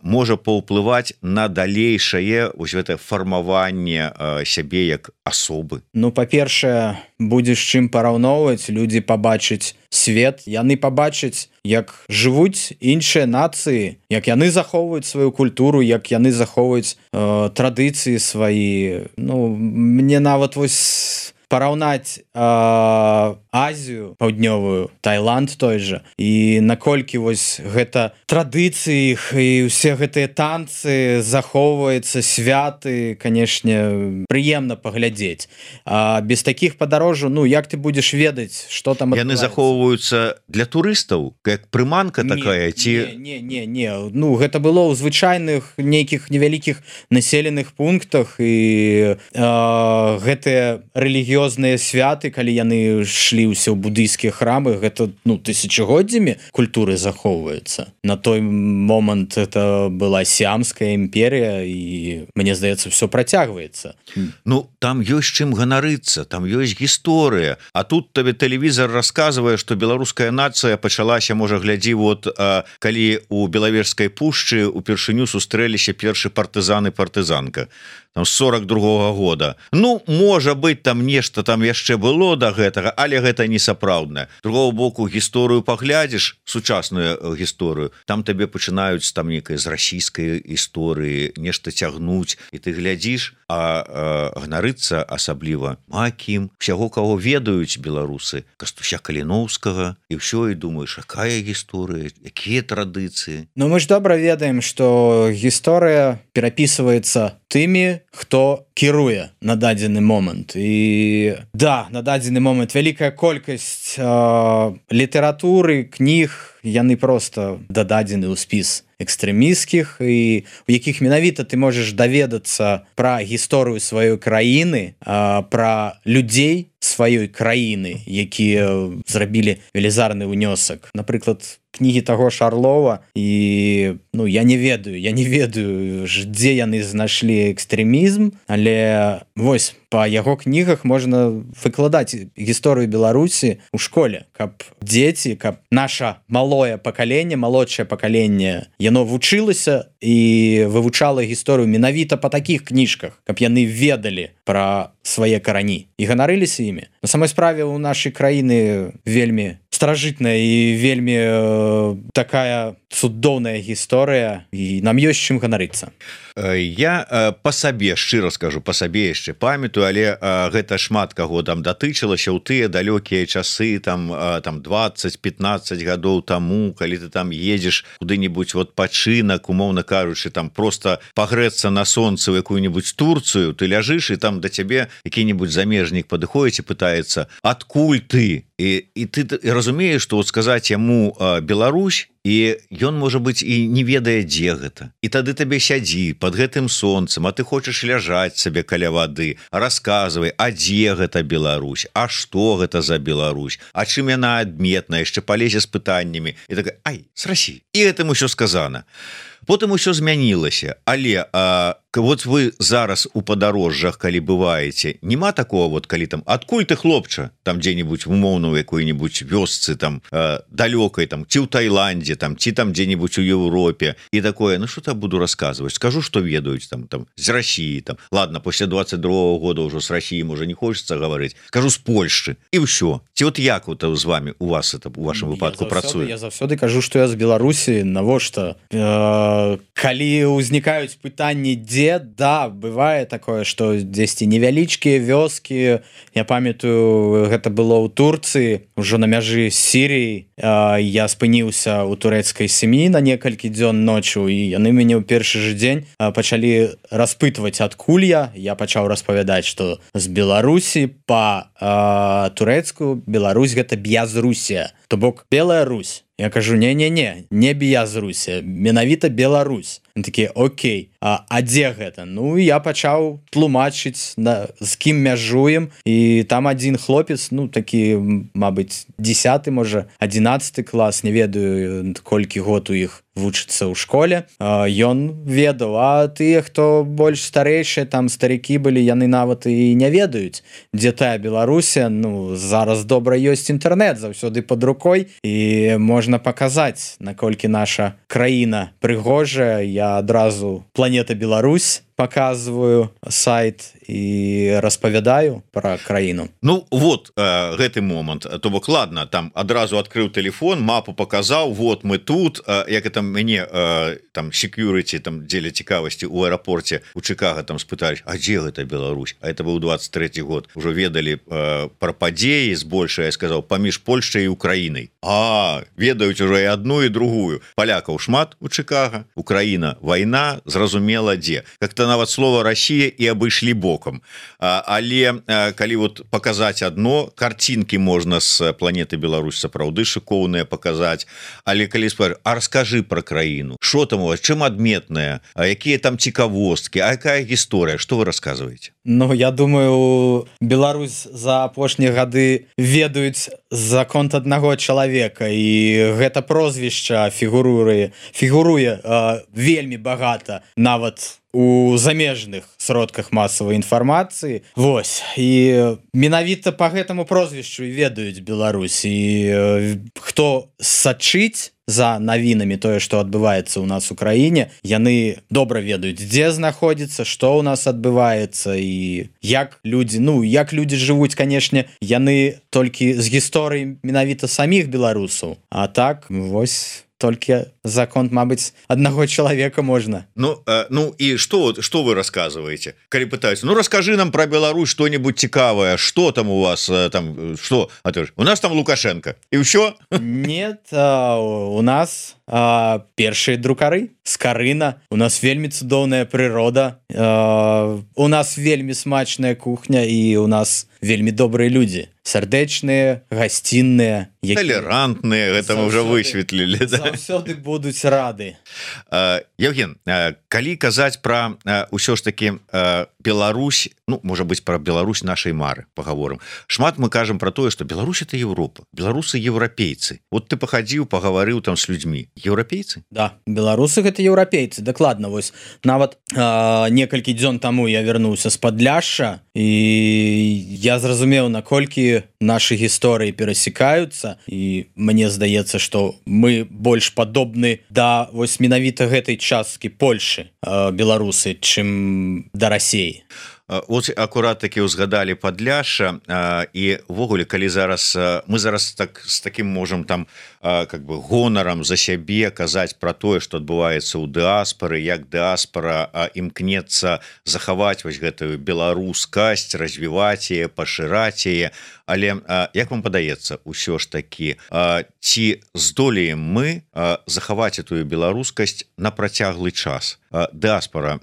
можа паўплываць на далейшае вось гэта фармаванне сябе як асобы? Ну, па-першае, будзе з чым параўноўваць, людзі пабачаць свет, яны пабачаць, як жывуць іншыя нацыі, як яны захоўваюць сваю культуру, як яны захоўваюць э, традыцыі свае. Ну, мне нават вось параўнаць э, Азію паўднёвую, Таиланд той же, і наколькі вось гэта традыцыі іх і ўсе гэтыя танцы захоўваюцца, святы, канешне, прыемна паглядзець. А без такіх падарожжаў, ну, як ты будзеш ведаць, што там адбываецца? Яны захоўваюцца для турыстаў, як прыманка такая, ці... Не, не, не, не. Ну, гэта было ў звычайных нейкіх невялікіх населеных пунктах, і э, гэтыя рэлігіёзныя рэлігіёзныя святы, калі яны шлі ўсе ў будыйскія храмы, гэта ну тысячагоддзямі культуры захоўваецца. На той момант это была сіамская імперія, і мне здаецца, все працягваецца. Ну там ёсць чым ганарыцца, там ёсць гісторыя, а тут табе тэлевізор расказвае, што беларуская нацыя пачалася, можа, глядзі, вот а, калі у Белавежскай пушчы упершыню сустрэліся першы партызан і партызанка там сорок другого года. Ну можа быть, там нешта там яшчэ было до гэтага, але гэта не сапраўднае. Другого боку, гісторыю паглядзіш, сучасную гісторыю, там табе пачынаюць там некай з расійскай гісторыі нешта цягнуць, і ты глядзіш, а, а ганарыцца асабліва макім, усяго каго ведаюць беларусы, Кастуся Каліноўскага, і ўсё, і думаеш, якая гісторыя, якія традыцыі. Ну мы ж добра ведаем, што гісторыя перапісваецца тымі, хто кіруе на дадзены момант. І да, на дадзены момант вялікая колькасць э, літаратуры, кніг, яны просто дададзены ў спіс экстрэмісцкіх, і у якіх менавіта ты можаш даведацца пра гісторыю сваёй краіны, э, пра людзей сваёй краіны, якія зрабілі велізарны ўнёсак. Напрыклад, кнігі таго ж Арлова, і ну я не ведаю, я не ведаю, дзе яны знайшлі экстрэмізм, але вось па яго кнігах можна выкладаць гісторыю Беларусі ў школе, каб дзеці, каб наша малое пакаленне, малодшае пакаленне, яно вучылася і вывучала гісторыю менавіта па такіх кніжках, каб яны ведалі пра свае карані і ганарыліся імі. На самой справе у нашай краіны вельмі старажытная і вельмі э, такая цудоўная гісторыя, і нам ёсць чым ганарыцца. Я э, па сабе шчыра скажу, па сабе яшчэ памятаю, але э, гэта шмат каго там датычылася ў тыя далёкія часы, там э, там двадцать пятнадцать гадоў таму, калі ты там едзеш куды-нибудь вот пачынак, умоўна кажучы, там просто пагрэцца на сонцы ў якую-нибудь Турцыю, ты ляжыш, і там да цябе які-нибудь замежнік падыходзіць і пытаецца, адкуль ты? І, і ты і разумееш, што вот сказаць яму э, Беларусь, і ён, можа быць, і не ведае, дзе гэта. І тады табе сядзі под гэтым сонцам, а ты хочаш ляжаць сабе каля вады, расказвай, а дзе гэта Беларусь, а што гэта за Беларусь, а чым яна адметная, яшчэ палезе з пытаннямі, і так, ай, з Расіі. І гэтым усё сказана. Потым усё змянілася, але а, вот вы зараз у падарожжах, калі бываеце, нема такого, вот калі там, адкуль ты, хлопча, там дзе-нибудь умоўна ў якой-нибудь вёсцы, там а, далёкай, там ці ў Таіландзе, там ці там дзе-нибудь у Еўропе, і такое, ну что-то буду рассказывать, скажу, что ведаюць там, там з России, там, ладно, после двадцать другого года уже с Россией уже не хочется говорить, скажу з Польши, і ўсё. Ці вот як вот з вами, у вас это, у вашем выпадку працуе? Я заўсёды кажу, что я з Беларусі, навошта? Э, калі ўзнікаюць пытанні, дзе, да, бывае такое, што дзесьці невялічкія вёскі, я памятаю, гэта было ў Турцыі, ужо на мяжы з Сіріяй, э, я спыніўся ў турэцкай сям'і на некалькі дзён ноччу, і яны мяне ў першы же дзень э, пачалі распытваць, адкуль я, я пачаў распавядаць, што з Беларусі па э, турэцку Беларусь гэта Бязрусія, то бок Белая Русь. Я кажу, не-не-не, не Бязрусія, менавіта Беларусь. Они такія, окей, а, а дзе гэта? Ну, я пачаў тлумачыць, на, з кім мяжуем, і там адзін хлопец, ну, такі, мабыць, десяты, можа, адзінаццаты клас, не ведаю, колькі год у іх вучыцца ў школе, ён ведаў, а тыя, хто больш старэйшыя, там старыкі былі, яны нават і не ведаюць, дзе тая Беларусія. Ну, зараз добра ёсць інтэрнэт, заўсёды пад рукой, і можна паказаць, наколькі наша краіна прыгожая. Я адразу «Планета Беларусь» показываю сайт і распавядаю пра краіну. Ну вот э, гэты момант, то бок ладно, там адразу адкрыў телефон, мапу показаў, вот мы тут, э, як это мяне э, там security, там дзеля цікавасці у аэрапорце у Чикаго там спыталі, а дзе гэта Беларусь? А это быў двадцать трэці год, ужо ведалі э, пра падзеі збольшая, я сказаў, паміж Польшчай і Украінай. А ведаюць ужо і адну і другую. Палякаў шмат у Чикаго, Украіна вайна, зразумела дзе. Как-то нібыта нават слова Россия і абышлі бокам, але калі вот показаць одно, картинки можна с планеты Беларусь сапраўды шыкоўныя показаць, але калі спар, а расскажи про краіну, что там у вас, чым адметная, якія там цікавосткі, а якая гісторыя, что вы рассказываете? Ну, я думаю, Беларусь за апошнія гады ведаюць за конт аднаго чалавека, і гэта прозвішча фігуруе фігуруе э, вельмі багата нават у замежных сродках масавай інфармацыі. Вось, і менавіта по гэтаму прозвішчу ведаюць Беларусь, і э, хто сачыць за навінамі тое, што адбываецца ў нас у краіне, яны добра ведаюць, дзе знаходзіцца, што ў нас адбываецца і як людзі, ну, як людзі жывуць, канешне, яны толькі з гісторыі менавіта саміх беларусаў, а так, вось, толькі за конт, мабыць, аднаго чалавека можна. Ну, э, ну и что, что вы рассказываете? Коли пытаются, ну расскажи нам про Беларусь что-нибудь цікавое, что там у вас, там, что? А ты, у нас там Лукашенко, и все? Нет, а, у нас а, першие друкары з Карына, у нас вельмі цудоўная прырода, а, у нас вельмі смачная кухня, і у нас вельмі добрыя людзі, сардэчныя, гасцінныя, які... толерантныя, гэта мы уже высветлілі, да? Заўсёды будуць рады. Евген, калі казаць пра ўсё ж таки Беларусь, ну, можа быць, пра Беларусь нашай мары паговорым. Шмат мы кажам пра тое, што Беларусь это Европа, беларусы еўрапейцы. Вот ты пахадзіў, пагаварыў там з людзьмі. Еўрапейцы? Да, беларусы гэта еўрапейцы, дакладна. Вось нават э, некалькі дзён таму я вярнуўся з Падляшша, і я зразумеў, наколькі нашы гісторыі перасекаюцца, і мне здаецца, што мы больш падобны да вось менавіта гэтай часткі Польшы, э, беларусы, чым да Расіі. Вот акурат таки узгадали Падляшша, і ввогуле, калі зараз мы зараз так з таким можем там как бы гонарам за сябе казаць про тое, што адбываецца ў дыаспары, як дыаспара імкнецца захаваць вось гэтую беларускасць, развіваць яе, пашыраць яе. Але як вам падаецца, усё ж таки, ці здолеем мы захаваць эту беларускасць на працяглы час? Дыаспара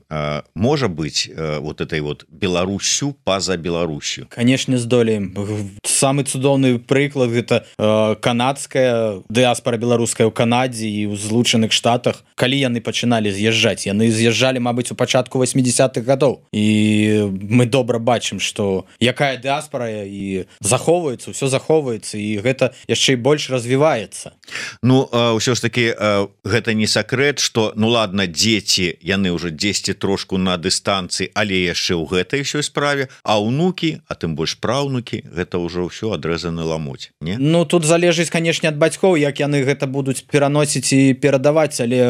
можа быць вот этой вот Беларусю па-за Беларусю? Канешне, здолеем. Самы цудоўны прыклад гэта канадская дыаспара беларуская ў Канадзе і ў Злучаных Штатах. Калі яны пачыналі з'язджаць, яны з'язджалі, мабыць, у пачатку восьмідзесятых гадоў. І мы добра бачым, што якая дыаспара і захоўваецца, ўсё захоўваецца, і гэта яшчэ і больш развіваецца. Ну, ўсё ж таки, гэта не сакрэт, што, ну ладно, дзеці, яны ўжо дзесьці трошку на дыстанцыі, але яшчэ ў гэтай ўсёй справе, а ўнукі, а тым больш праўнукі, гэта ўжо ўсё адрэзаны ламуць, не? Ну, тут залежыць, канешне, ад бацькоў, як яны гэта будуць пераносіць і перадаваць, але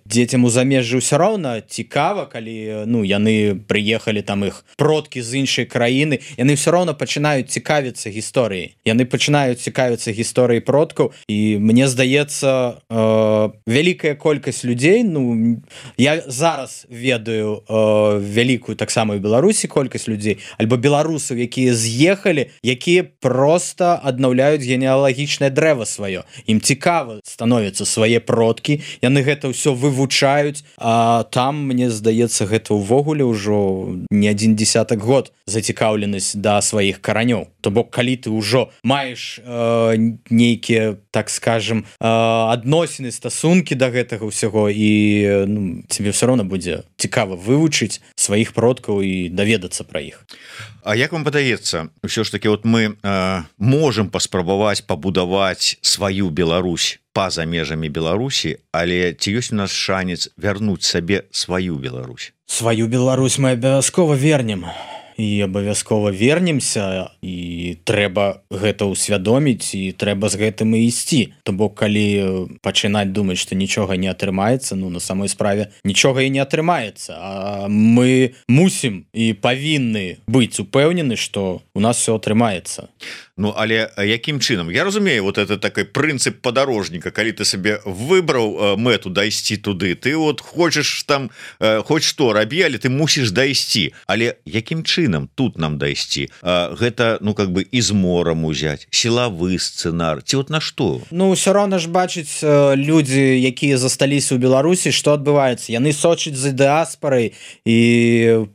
дзецям у замежжы ўсё роўна цікава, калі, ну, яны прыехалі, там іх продкі з іншай краіны, яны ўсё роўна пачынаюць цікавіцца гісторыяй. Яны пачынаюць цікавіцца гісторыяй продкаў, і мне здаецца, э, вялікая колькасць людзей, ну, я зараз ведаю э, вялікую таксама ў Беларусі колькасць людзей, альбо беларусаў, якія з'ехалі, якія проста аднаўляюць генеалагічнае дрэва сваё. Ім цікава становяцца свае продкі, яны гэта ўсё вывучаюць, а там, мне здаецца, гэта ўвогуле ўжо не адзін дзесятак год зацікаўленасць да сваіх каранёў. То бок, калі ты ўжо маеш э, нейкія, так скажем, э, адносіны, стасункі да гэтага ўсяго, і ну, тебе все равно будзе цікава вывучыць сваіх продкаў і даведацца пра іх. А як вам падаецца, ўсё ж таки, вот мы э, можем паспрабаваць пабудаваць сваю Беларусь па-за межамі Беларусі, але ці ёсць у нас шанец вярнуць сабе сваю Беларусь? Сваю Беларусь мы абавязкова вернем. І абавязкова вернемся, і трэба гэта ўсвядоміць, і трэба з гэтым і ісці. То бок, калі пачынаць думаць, што нічога не атрымаецца, ну, на самой справе нічога і не атрымаецца. А мы мусім і павінны быць упэўнены, што у нас все атрымаецца. Ну але якім чынам я разумею вот это такой прынцып падарожніка калі ты сабе выбраў мэту дайсці туды ты вот хочаш там хоть што рабі але ты мусіш дайсці але якім чынам тут нам дайсці гэта ну как бы из морам узять сілавы сцэнар ці вот на што Ну все роўна ж бачыць людзі якія засталіся ў Беларусі што адбываецца яны сочаць за дыаспорай і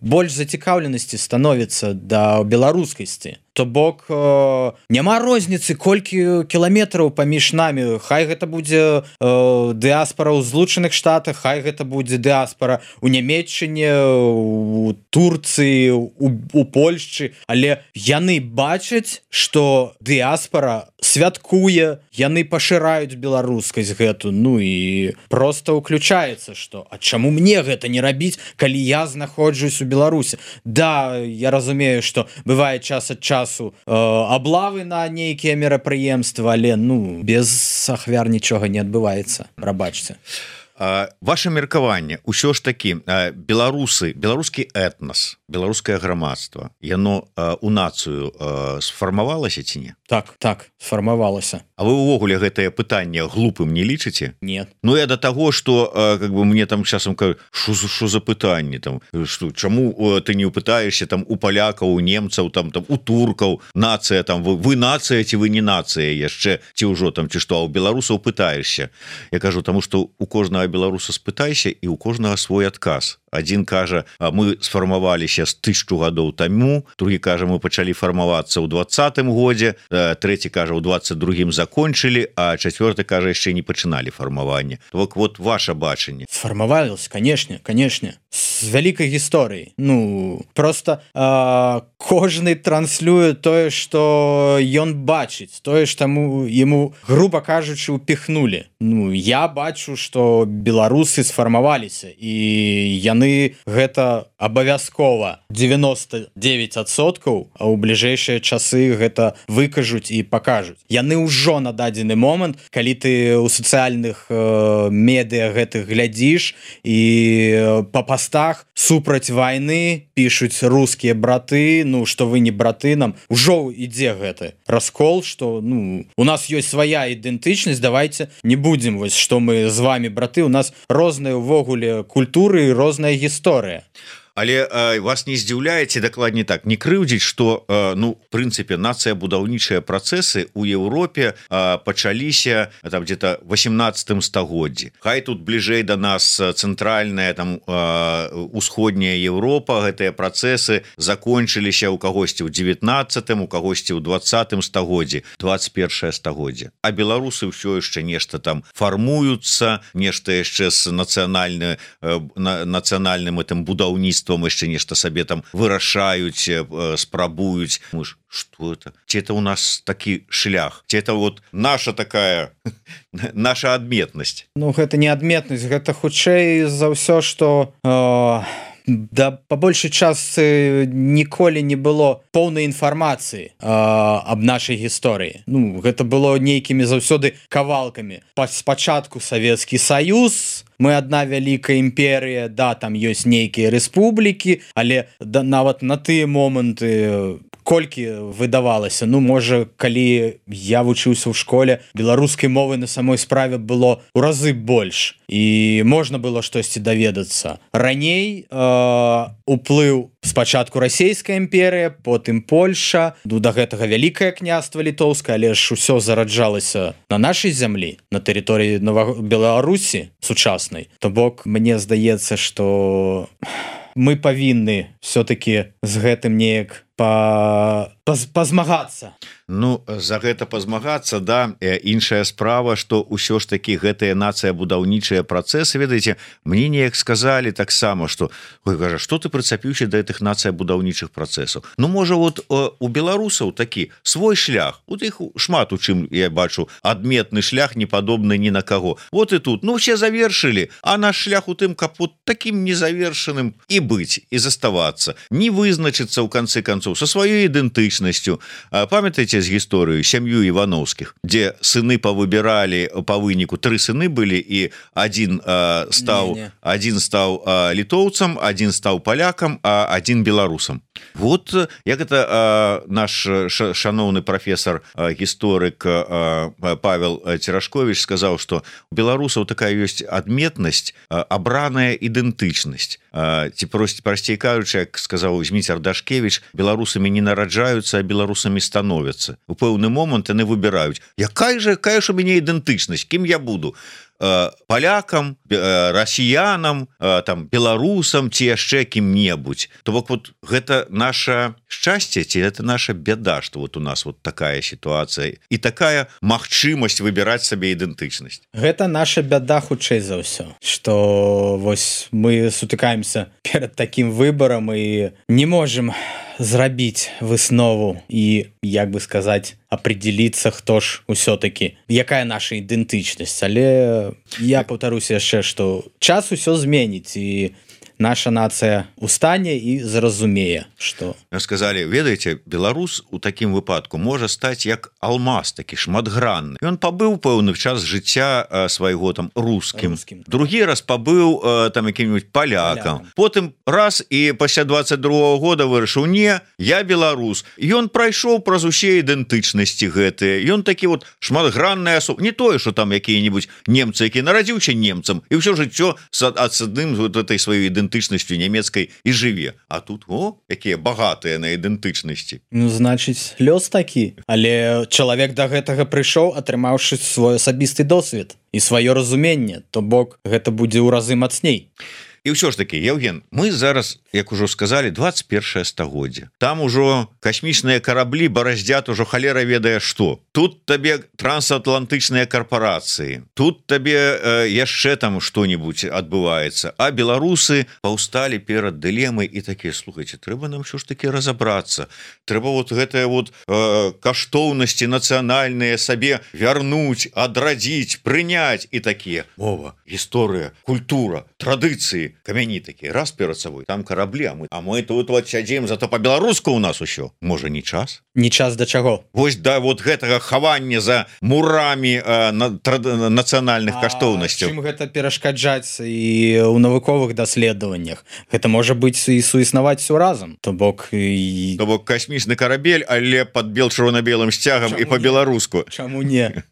больш зацікаўленасці становіцца да беларускасці то бок э, няма розніцы колькі кіламетраў паміж намі хай гэта будзе э, дыаспора ў Злучаных Штатах хай гэта будзе дыаспора у Нямецчыне у Турцыі у, у Польшчы але яны бачаць што дыаспора святкуе яны пашыраюць беларускасць гэту ну і просто уключаецца што а чаму мне гэта не рабіць калі я знаходжусь у Беларусі да я разумею што бывае час ад часу Э, аблавы на нейкія мерапрыемствы але ну без ахвяр нічога не адбываецца прабачце ваше меркаванне ўсё ж такі беларусы беларускі этнас беларускае грамадства яно у нацыю сфармавалася ці не так так сфармавалася А вы увогуле гэтае пытанне глупым не лічыце нет Ну я до того что как бы мне там часам что за пытанне там что чаму ты не упытаешься там у палякаў у немцаў там там у туркаў нацыя там вы, вы нацыя ці вы не нацыя яшчэ ці ўжо там ці што а у беларусаў пытаешься Я кажу тому что у кожнага беларуса спытайся і у кожнага свой адказ Адзін кажа мы сфармаваліся з тысячу гадоў таму другі кажа мы пачалі фармавацца ў двадцатым годзе трэці кажа у двадцать другім закончылі а чацвёрты кажа яшчэ не пачыналі фармаванне вот вот ваше бачанне сфармавалось канешне канешне з вялікай гісторыі ну просто э, кожны транслюе тое што ён бачыць тое ж таму яму груба кажучы упихнули Ну я бачу што беларусы сфармаваліся і яны гэта абавязкова девяносто девять адсоткаў а ў бліжэйшыя часы гэта выкажуць і пакажуць яны ўжо на дадзены момант калі ты ў сацыяльных э, медыа гэтых глядзіш і па пастах супраць вайны пішуць рускія браты ну што вы не браты нам ужо ідзе гэты раскол што ну у нас ёсць свая ідэнтычнасць давайте не будзем вось што мы з вами браты у нас розныя ўвогуле культуры і розная гісторыя Але э, вас не здзіўляеце дакладней так не крыўдзіць што э, ну в прынцыпе нацыя будаўнічыя працэсы у Еўропе э, пачаліся там где-то восемнадцатым стагоддзі Хай тут бліжэй да нас цэнтральная там э, усходняя Еўропа гэтыя працэсы закончыліся ў кагосьці ў девятнадцатым у кагосьці ў двадцатым стагоддзі двадцать первое стагоддзе А беларусы ўсё яшчэ нешта там фармуюцца нешта яшчэ з нацыянальны э, на, нацыянальным гэтым будаўніцтвам яшчэ нешта сабе там вырашаюць спрабуюць мы ж что это ці это у нас такі шлях ці это вот наша такая наша адметнасць Ну гэта не адметнасць гэта хутчэй за ўсё што э... Да по большай частцы ніколі не было поўнай інфармацыі э, аб нашай гісторыі Ну гэта было нейкімі заўсёды кавалкамі спачатку Савецкі Саюз мы адна вялікая імперія да там ёсць нейкія рэспублікі але да, нават на тыя моманты колькі выдавалася Ну можа калі я вучыўся ў школе беларускай мовы на самой справе было ў разы больш і можна было штосьці даведацца раней э, уплыў спачатку расійская імперія потым Польша ну да гэтага вялікае княства літоўскае але ж усё зараджалася на нашай зямлі на тэрыторыі Нова... Беларусі сучаснай то бок мне здаецца што мы павінны все-таки з гэтым неяк па... пазмагацца Ну за гэта пазмагацца да іншая справа што ўсё ж такі гэтыя нацыя будаўнічыя працэсы ведаеце мне неяк сказалі таксама што кажа што ты прыцапіўся да гэтых нацыя будаўнічых працэсаў Ну можа вот у беларусаў такі свой шлях у іх шмат у чым я бачу адметны шлях не падобны ні на каго вот і тут ну все завершылі а наш шлях у тым каб вот таким незавершаным і быць і заставацца не вызначыцца ў канцы концов концов со сваёй ідэнтычнасцю. Памятаеце з гісторыю сям'ю Івановскіх, дзе сыны павыбіралі па выніку, тры сыны былі і адзін э, стаў не, не. адзін стаў э, літоўцам, адзін стаў палякам, а адзін беларусам. Вот як это э, наш шаноўны прафесор э, гісторык э, Павел Церашкович сказаў, што у беларусаў такая ёсць адметнасць, э, абраная ідэнтычнасць. Э, ці прост прасцей кажучы, як сказаў Зміцер Дашкевич, беларусамі не нараджаюцца, а беларусамі становяцца. У пэўны момант яны выбіраюць, якая же якая ж у мяне ідэнтычнасць, кім я буду? Палякам, расіянам, там беларусам ці яшчэ кім-небудзь. То бок вот гэта наша шчасце ці это наша бяда, што вот у нас вот такая сітуацыя і такая магчымасць выбіраць сабе ідэнтычнасць. Гэта наша бяда хутчэй за ўсё, што вось мы сутыкаемся перад такім выбарам і не можем зрабіць выснову і, як бы сказаць, определиться, хто ж усё-таки, якая наша ідэнтычнасць. Але я паўтаруся яшчэ, што час усё зменіць і наша нацыя устане і зразумее, што... Сказалі, ведаеце, беларус у такім выпадку можа стаць як алмаз, такі шматгранны. Ён пабыў пэўны час жыцця свайго там рускім. рускім. Другі раз пабыў там якім-нибудь палякам. Палякам. Потым раз і пасля двадцать другого года вырашыў, не, я беларус. Ён прайшоў праз усе ідэнтычнасці гэтыя. Ён такі вот шматгранная асоба. Не тое, што там якія-нибудь немцы, які нарадзіўся немцам, і ўсё жыццё ад адным вот этой сваёй ідэнтычнасцю нямецкай і жыве. А тут, о, якія багатыя на ідэнтычнасці. Ну, значыць, лёс такі. Але чалавек да гэтага прыйшоў, атрымаўшы свой асабісты досвед і сваё разуменне, то бок гэта будзе ў разы мацней. І ўсё ж таки, Евген, мы зараз, як ужо сказалі, двадцать першае стагоддзе. Там ужо касмічныя караблі бараздзят ужо халера ведае што. Тут табе трансатлантычныя карпорацыі, тут табе э, яшчэ там што-нибудь адбываецца. А беларусы паўсталі перад дылемай і такія, слухайце, трэба нам ўсё ж таки разабрацца. Трэба вот гэтыя вот э, каштоўнасці нацыянальныя сабе вярнуць, адрадзіць, прыняць і такія. Мова, гісторыя, культура, традыцыі. Камяні такія, раз перад сабой, там караблі, а мы, а мы тут вот сядзім, зато па-беларуску у нас усё. Можа, не час? Не час да чаго? Вось да вот гэтага хавання за мурамі э, на, тра, нацыянальных каштоўнасцяў. Чым гэта перашкаджаць і ў навуковых даследаваннях? Гэта можа быць і суіснаваць усё разам. То бок, і... То бок касмічны карабель, але пад бел-чырвона-белым сцягам і па-беларуску. Чаму не?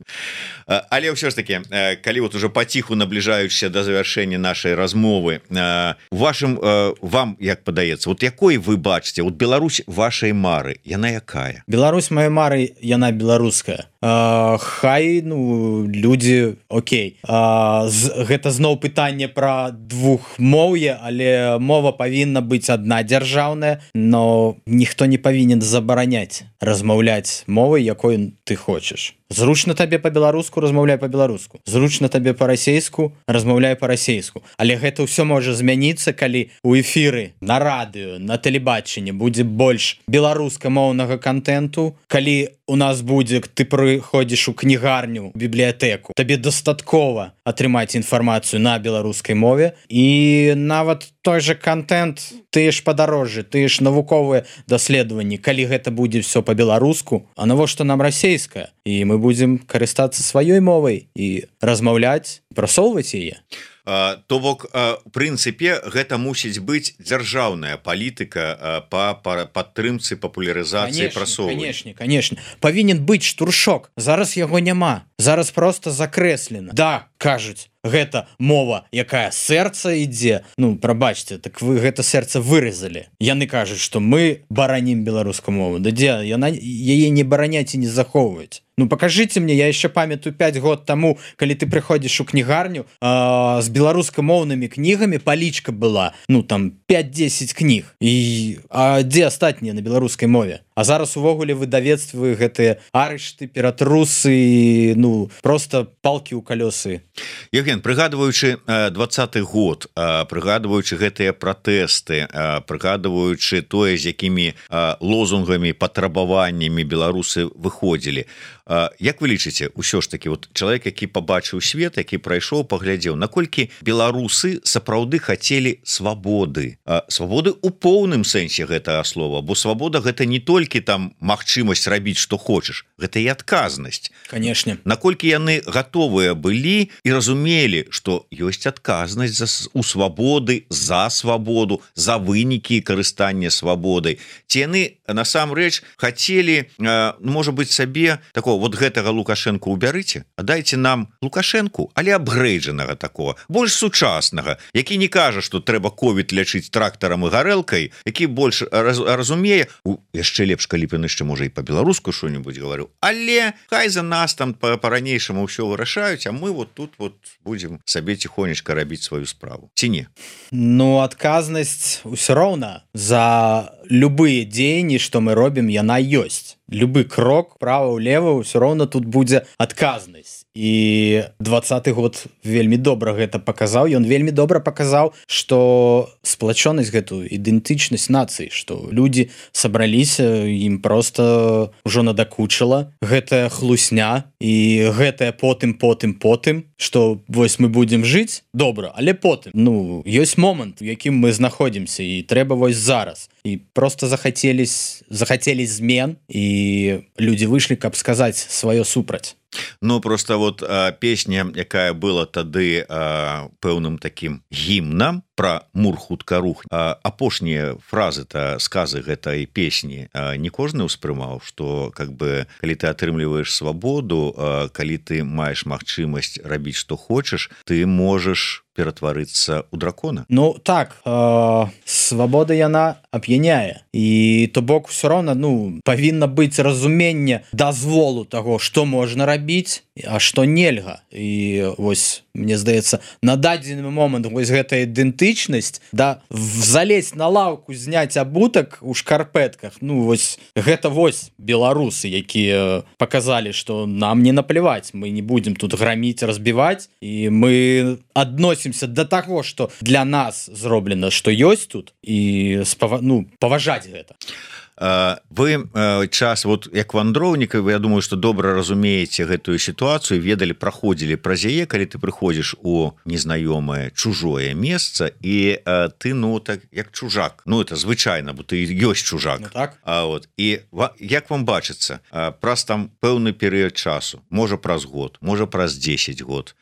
Але ўсё ж таки, калі вот уже паціху набліжаючыся да завяршэння нашай размовы, вашым, вам, як падаецца, вот якой вы бачыце, вот Беларусь вашай мары, яна якая? Беларусь маёй мары, яна беларуская. Uh, хай, ну, людзі, окей. Uh, з, гэта зноў пытанне пра двухмоўе, але мова павінна быць адна дзяржаўная, но ніхто не павінен забараняць размаўляць мовай, якой ты хочаш. Зручна табе па-беларуску, размаўляй па-беларуску. Зручна табе па-расейску, размаўляй па-расейску. Але гэта ўсё можа змяніцца, калі ў эфіры, на радыё, на тэлебачанні будзе больш беларускамоўнага контенту, калі у нас будзе, ты прыходзіш у кнігарню, бібліятэку, табе дастаткова атрымаць інфармацыю на беларускай мове, і нават той же контент, тыя ж падарожжы, тыя ж навуковыя даследаванні, калі гэта будзе все па-беларуску, а навошта нам расейская? І мы будзем карыстацца сваёй мовай і размаўляць, прасоўваць яе. То бок, у прынцыпе, гэта мусіць быць дзяржаўная палітыка па падтрымцы папулярызацыі прасоўвання. Канешне, канешне. Павінен быць штуршок. Зараз яго няма. Зараз проста закрэслена. Да, кажуць, гэта мова, якая сэрца ідзе. Ну, прабачце, так вы гэта сэрца выразалі. Яны кажуць, што мы баранім беларускую мову. Да дзе, яна яе не бараняць і не захоўваць. Ну, покажите мне, я еще памятаю пять год тому, калі ты приходишь у кнігарню, э, с беларускамоўнымі книгами, палічка была, ну, там, пять-десять книг. И, а где астатнія на беларускай мове? А зараз увогуле выдавецтвы гэтыя арышты, ператрусы, ну, просто палки ў калёсы. Евген, прыгадваючы двадцаты год, прыгадваючы гэтыя пратэсты, прыгадваючы тое, з якімі лозунгамі, патрабаваннямі беларусы выходзілі, Як вы лічыце, усё ж таки вот чалавек, які пабачыў свет, які прайшоў, паглядзеў, наколькі беларусы сапраўды хацелі свабоды, свабоды у поўным сэнсе гэтага слова, бо свабода гэта не толькі там магчымасць рабіць што хочаш, гэта і адказнасць. Канешне, наколькі яны гатовыя былі і разумелі, што ёсць адказнасць за у свабоды, за свабоду, за вынікі карыстання свабодай. Ці яны насамрэч хацелі, можа быць, сабе такого вот гэтага Лукашенко убярыце, а дайце нам Лукашенку, але абгрэйджанага такого, больш сучаснага, які не кажа, што трэба ковід лячыць трактарам і гарэлкай, які больш раз, разумее, у, яшчэ лепш, калі б ён яшчэ можа і па-беларуску што-небудзь гаварыў, але хай за нас там па-ранейшаму ўсё вырашаюць, а мы вот тут вот будзем сабе ціхонечка рабіць сваю справу. Ці не? Ну, адказнасць усё роўна за любыя дзеянні, што мы робім, яна ёсць. Любы крок права-ўлева ўсё роўна тут будзе адказнасць. І двадцаты год вельмі добра гэта паказаў. Ён вельмі добра паказаў, што сплачонасць гэтую ідэнтычнасць нацыі, што людзі сабраліся, ім проста ўжо надакучыла гэтая хлусня і гэтая потым потым потым, што вось мы будзем жыць добра, але потым, ну, ёсць момант, у якім мы знаходзімся, і трэба вось зараз. І проста захацелись захацелі змен, і людзі выйшлі, каб сказаць сваё супраць. Ну, просто вот а, песня, якая была тады а, пэўным таким гімнам про мур хутка рух, а, апошнія фразы-то, сказы гэтай песні а, не кожны ўспрымаў, што как бы калі ты атрымліваеш свабоду, а, калі ты маеш магчымасць рабіць што хочаш, ты можаш ператварыцца ў дракона. Ну так, э, свабода яна ап'яняе, і то бок усё роўна, ну, павінна быць разуменне дазволу таго, што можна рабіць, а што нельга. І вось, мне здаецца, на дадзены момант вось гэтая ідэнтычнасць, да, залезть на лаўку, зняць абутак у шкарпэтках, ну вось гэта вось беларусы, якія паказалі, што нам не напляваць, мы не будзем тут граміць, разбіваць, і мы адносімся да таго, што для нас зроблена, што ёсць тут, і спава... ну, паважаць гэта. Вы час вот як вандроўнікаў, я думаю, што добра разумееце гэтую сітуацыю, ведалі, праходзілі праз яе, калі ты прыходзіш у незнаёмае чужое месца, і ты, ну, так як чужак, ну, это звычайна, бо ты ёсць чужак. Ну, так. А вот і як вам бачыцца, праз там пэўны перыяд часу, можа праз год, можа праз дзесяць год,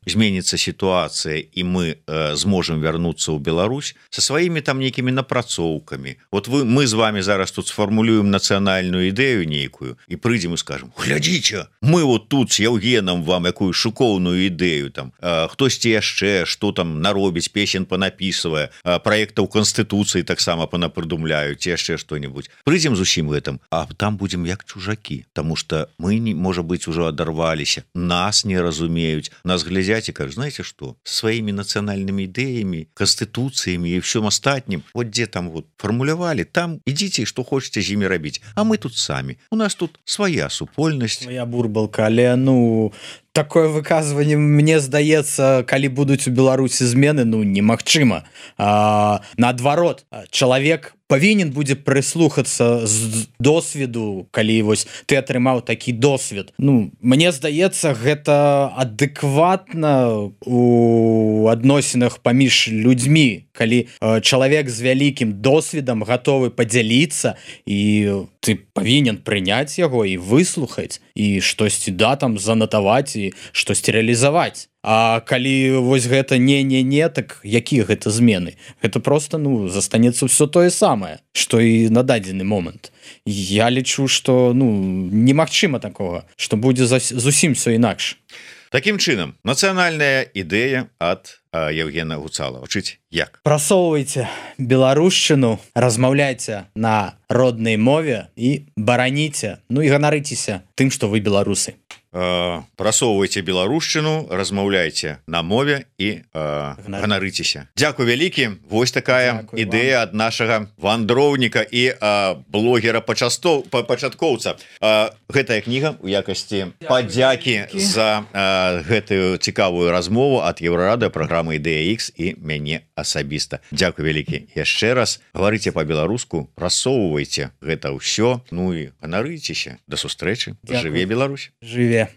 зменіцца сітуацыя, і мы зможам вярнуцца ў Беларусь са сваімі там нейкімі напрацоўкамі. Вот вы, мы з вами зараз тут сфармулюем нацыянальную ідэю нейкую і прыйдзем і скажем: глядзіце, мы вот тут с Яўгенам вам якую шыкоўную ідэю, там хтосьці яшчэ што там наробіць, песен панапісвае, праектаў Канстытуцыі таксама панапрыдумляюць, яшчэ што-небудзь. Прыйдзем з усім гэтым, а там будзем як чужакі, таму што мы, не, можа быць, ужо адарваліся, нас не разумеюць, нас глядзяць і кажуць: знаеце што, сваімі нацыянальнымі ідэямі, канстытуцыямі і ўсім астатнім, вот дзе там вот фармулявалі, там ідзіце, што хочаце з імі рабіць, а мы тут самі, у нас тут свая супольнасць, свая бурбалка, але, ну, такое выказванне, мне здаецца, калі будуць у Беларусі змены, ну, немагчыма. А, наадварот, чалавек павінен будзе прыслухацца з досведу, калі вось ты атрымаў такі досвед. Ну, мне здаецца, гэта адэкватна у адносінах паміж людзьмі, калі чалавек з вялікім досведам гатовы падзяліцца, і ты павінен прыняць яго і выслухаць, і штосьці, да, там занатаваць, і штосьці рэалізаваць. А калі вось гэта не-не-не, так якія гэта змены? Гэта проста, ну, застанецца ўсё тое самае, што і на дадзены момант. Я лічу, што, ну, немагчыма такога, што будзе зусім всё інакш. Такім чынам, нацыянальная ідэя ад Яўгена Гуцалава. Чыць як? Прасоўвайце беларушчыну, размаўляйце на роднай мове і бараніце, ну і ганарыцеся тым, што вы беларусы. прасоўвайце беларушчыну, размаўляйце на мове і ганарыцеся. Дзякуй вялікі. Вось такая Дзякуй ідэя вам. Ад нашага вандроўніка і блогера пачастов пачаткоўца. Гэтая кніга у якасці падзякі за гэтую цікавую размову ад Еўрарада, праграмы Ідэя Ікс і мяне асабіста. Дзякуй вялікі яшчэ раз. Гаварыце па-беларуску, прасоўвайце гэта ўсё, ну і ганарыцеся. Да сустрэчы. Жыве Беларусь. Жыве.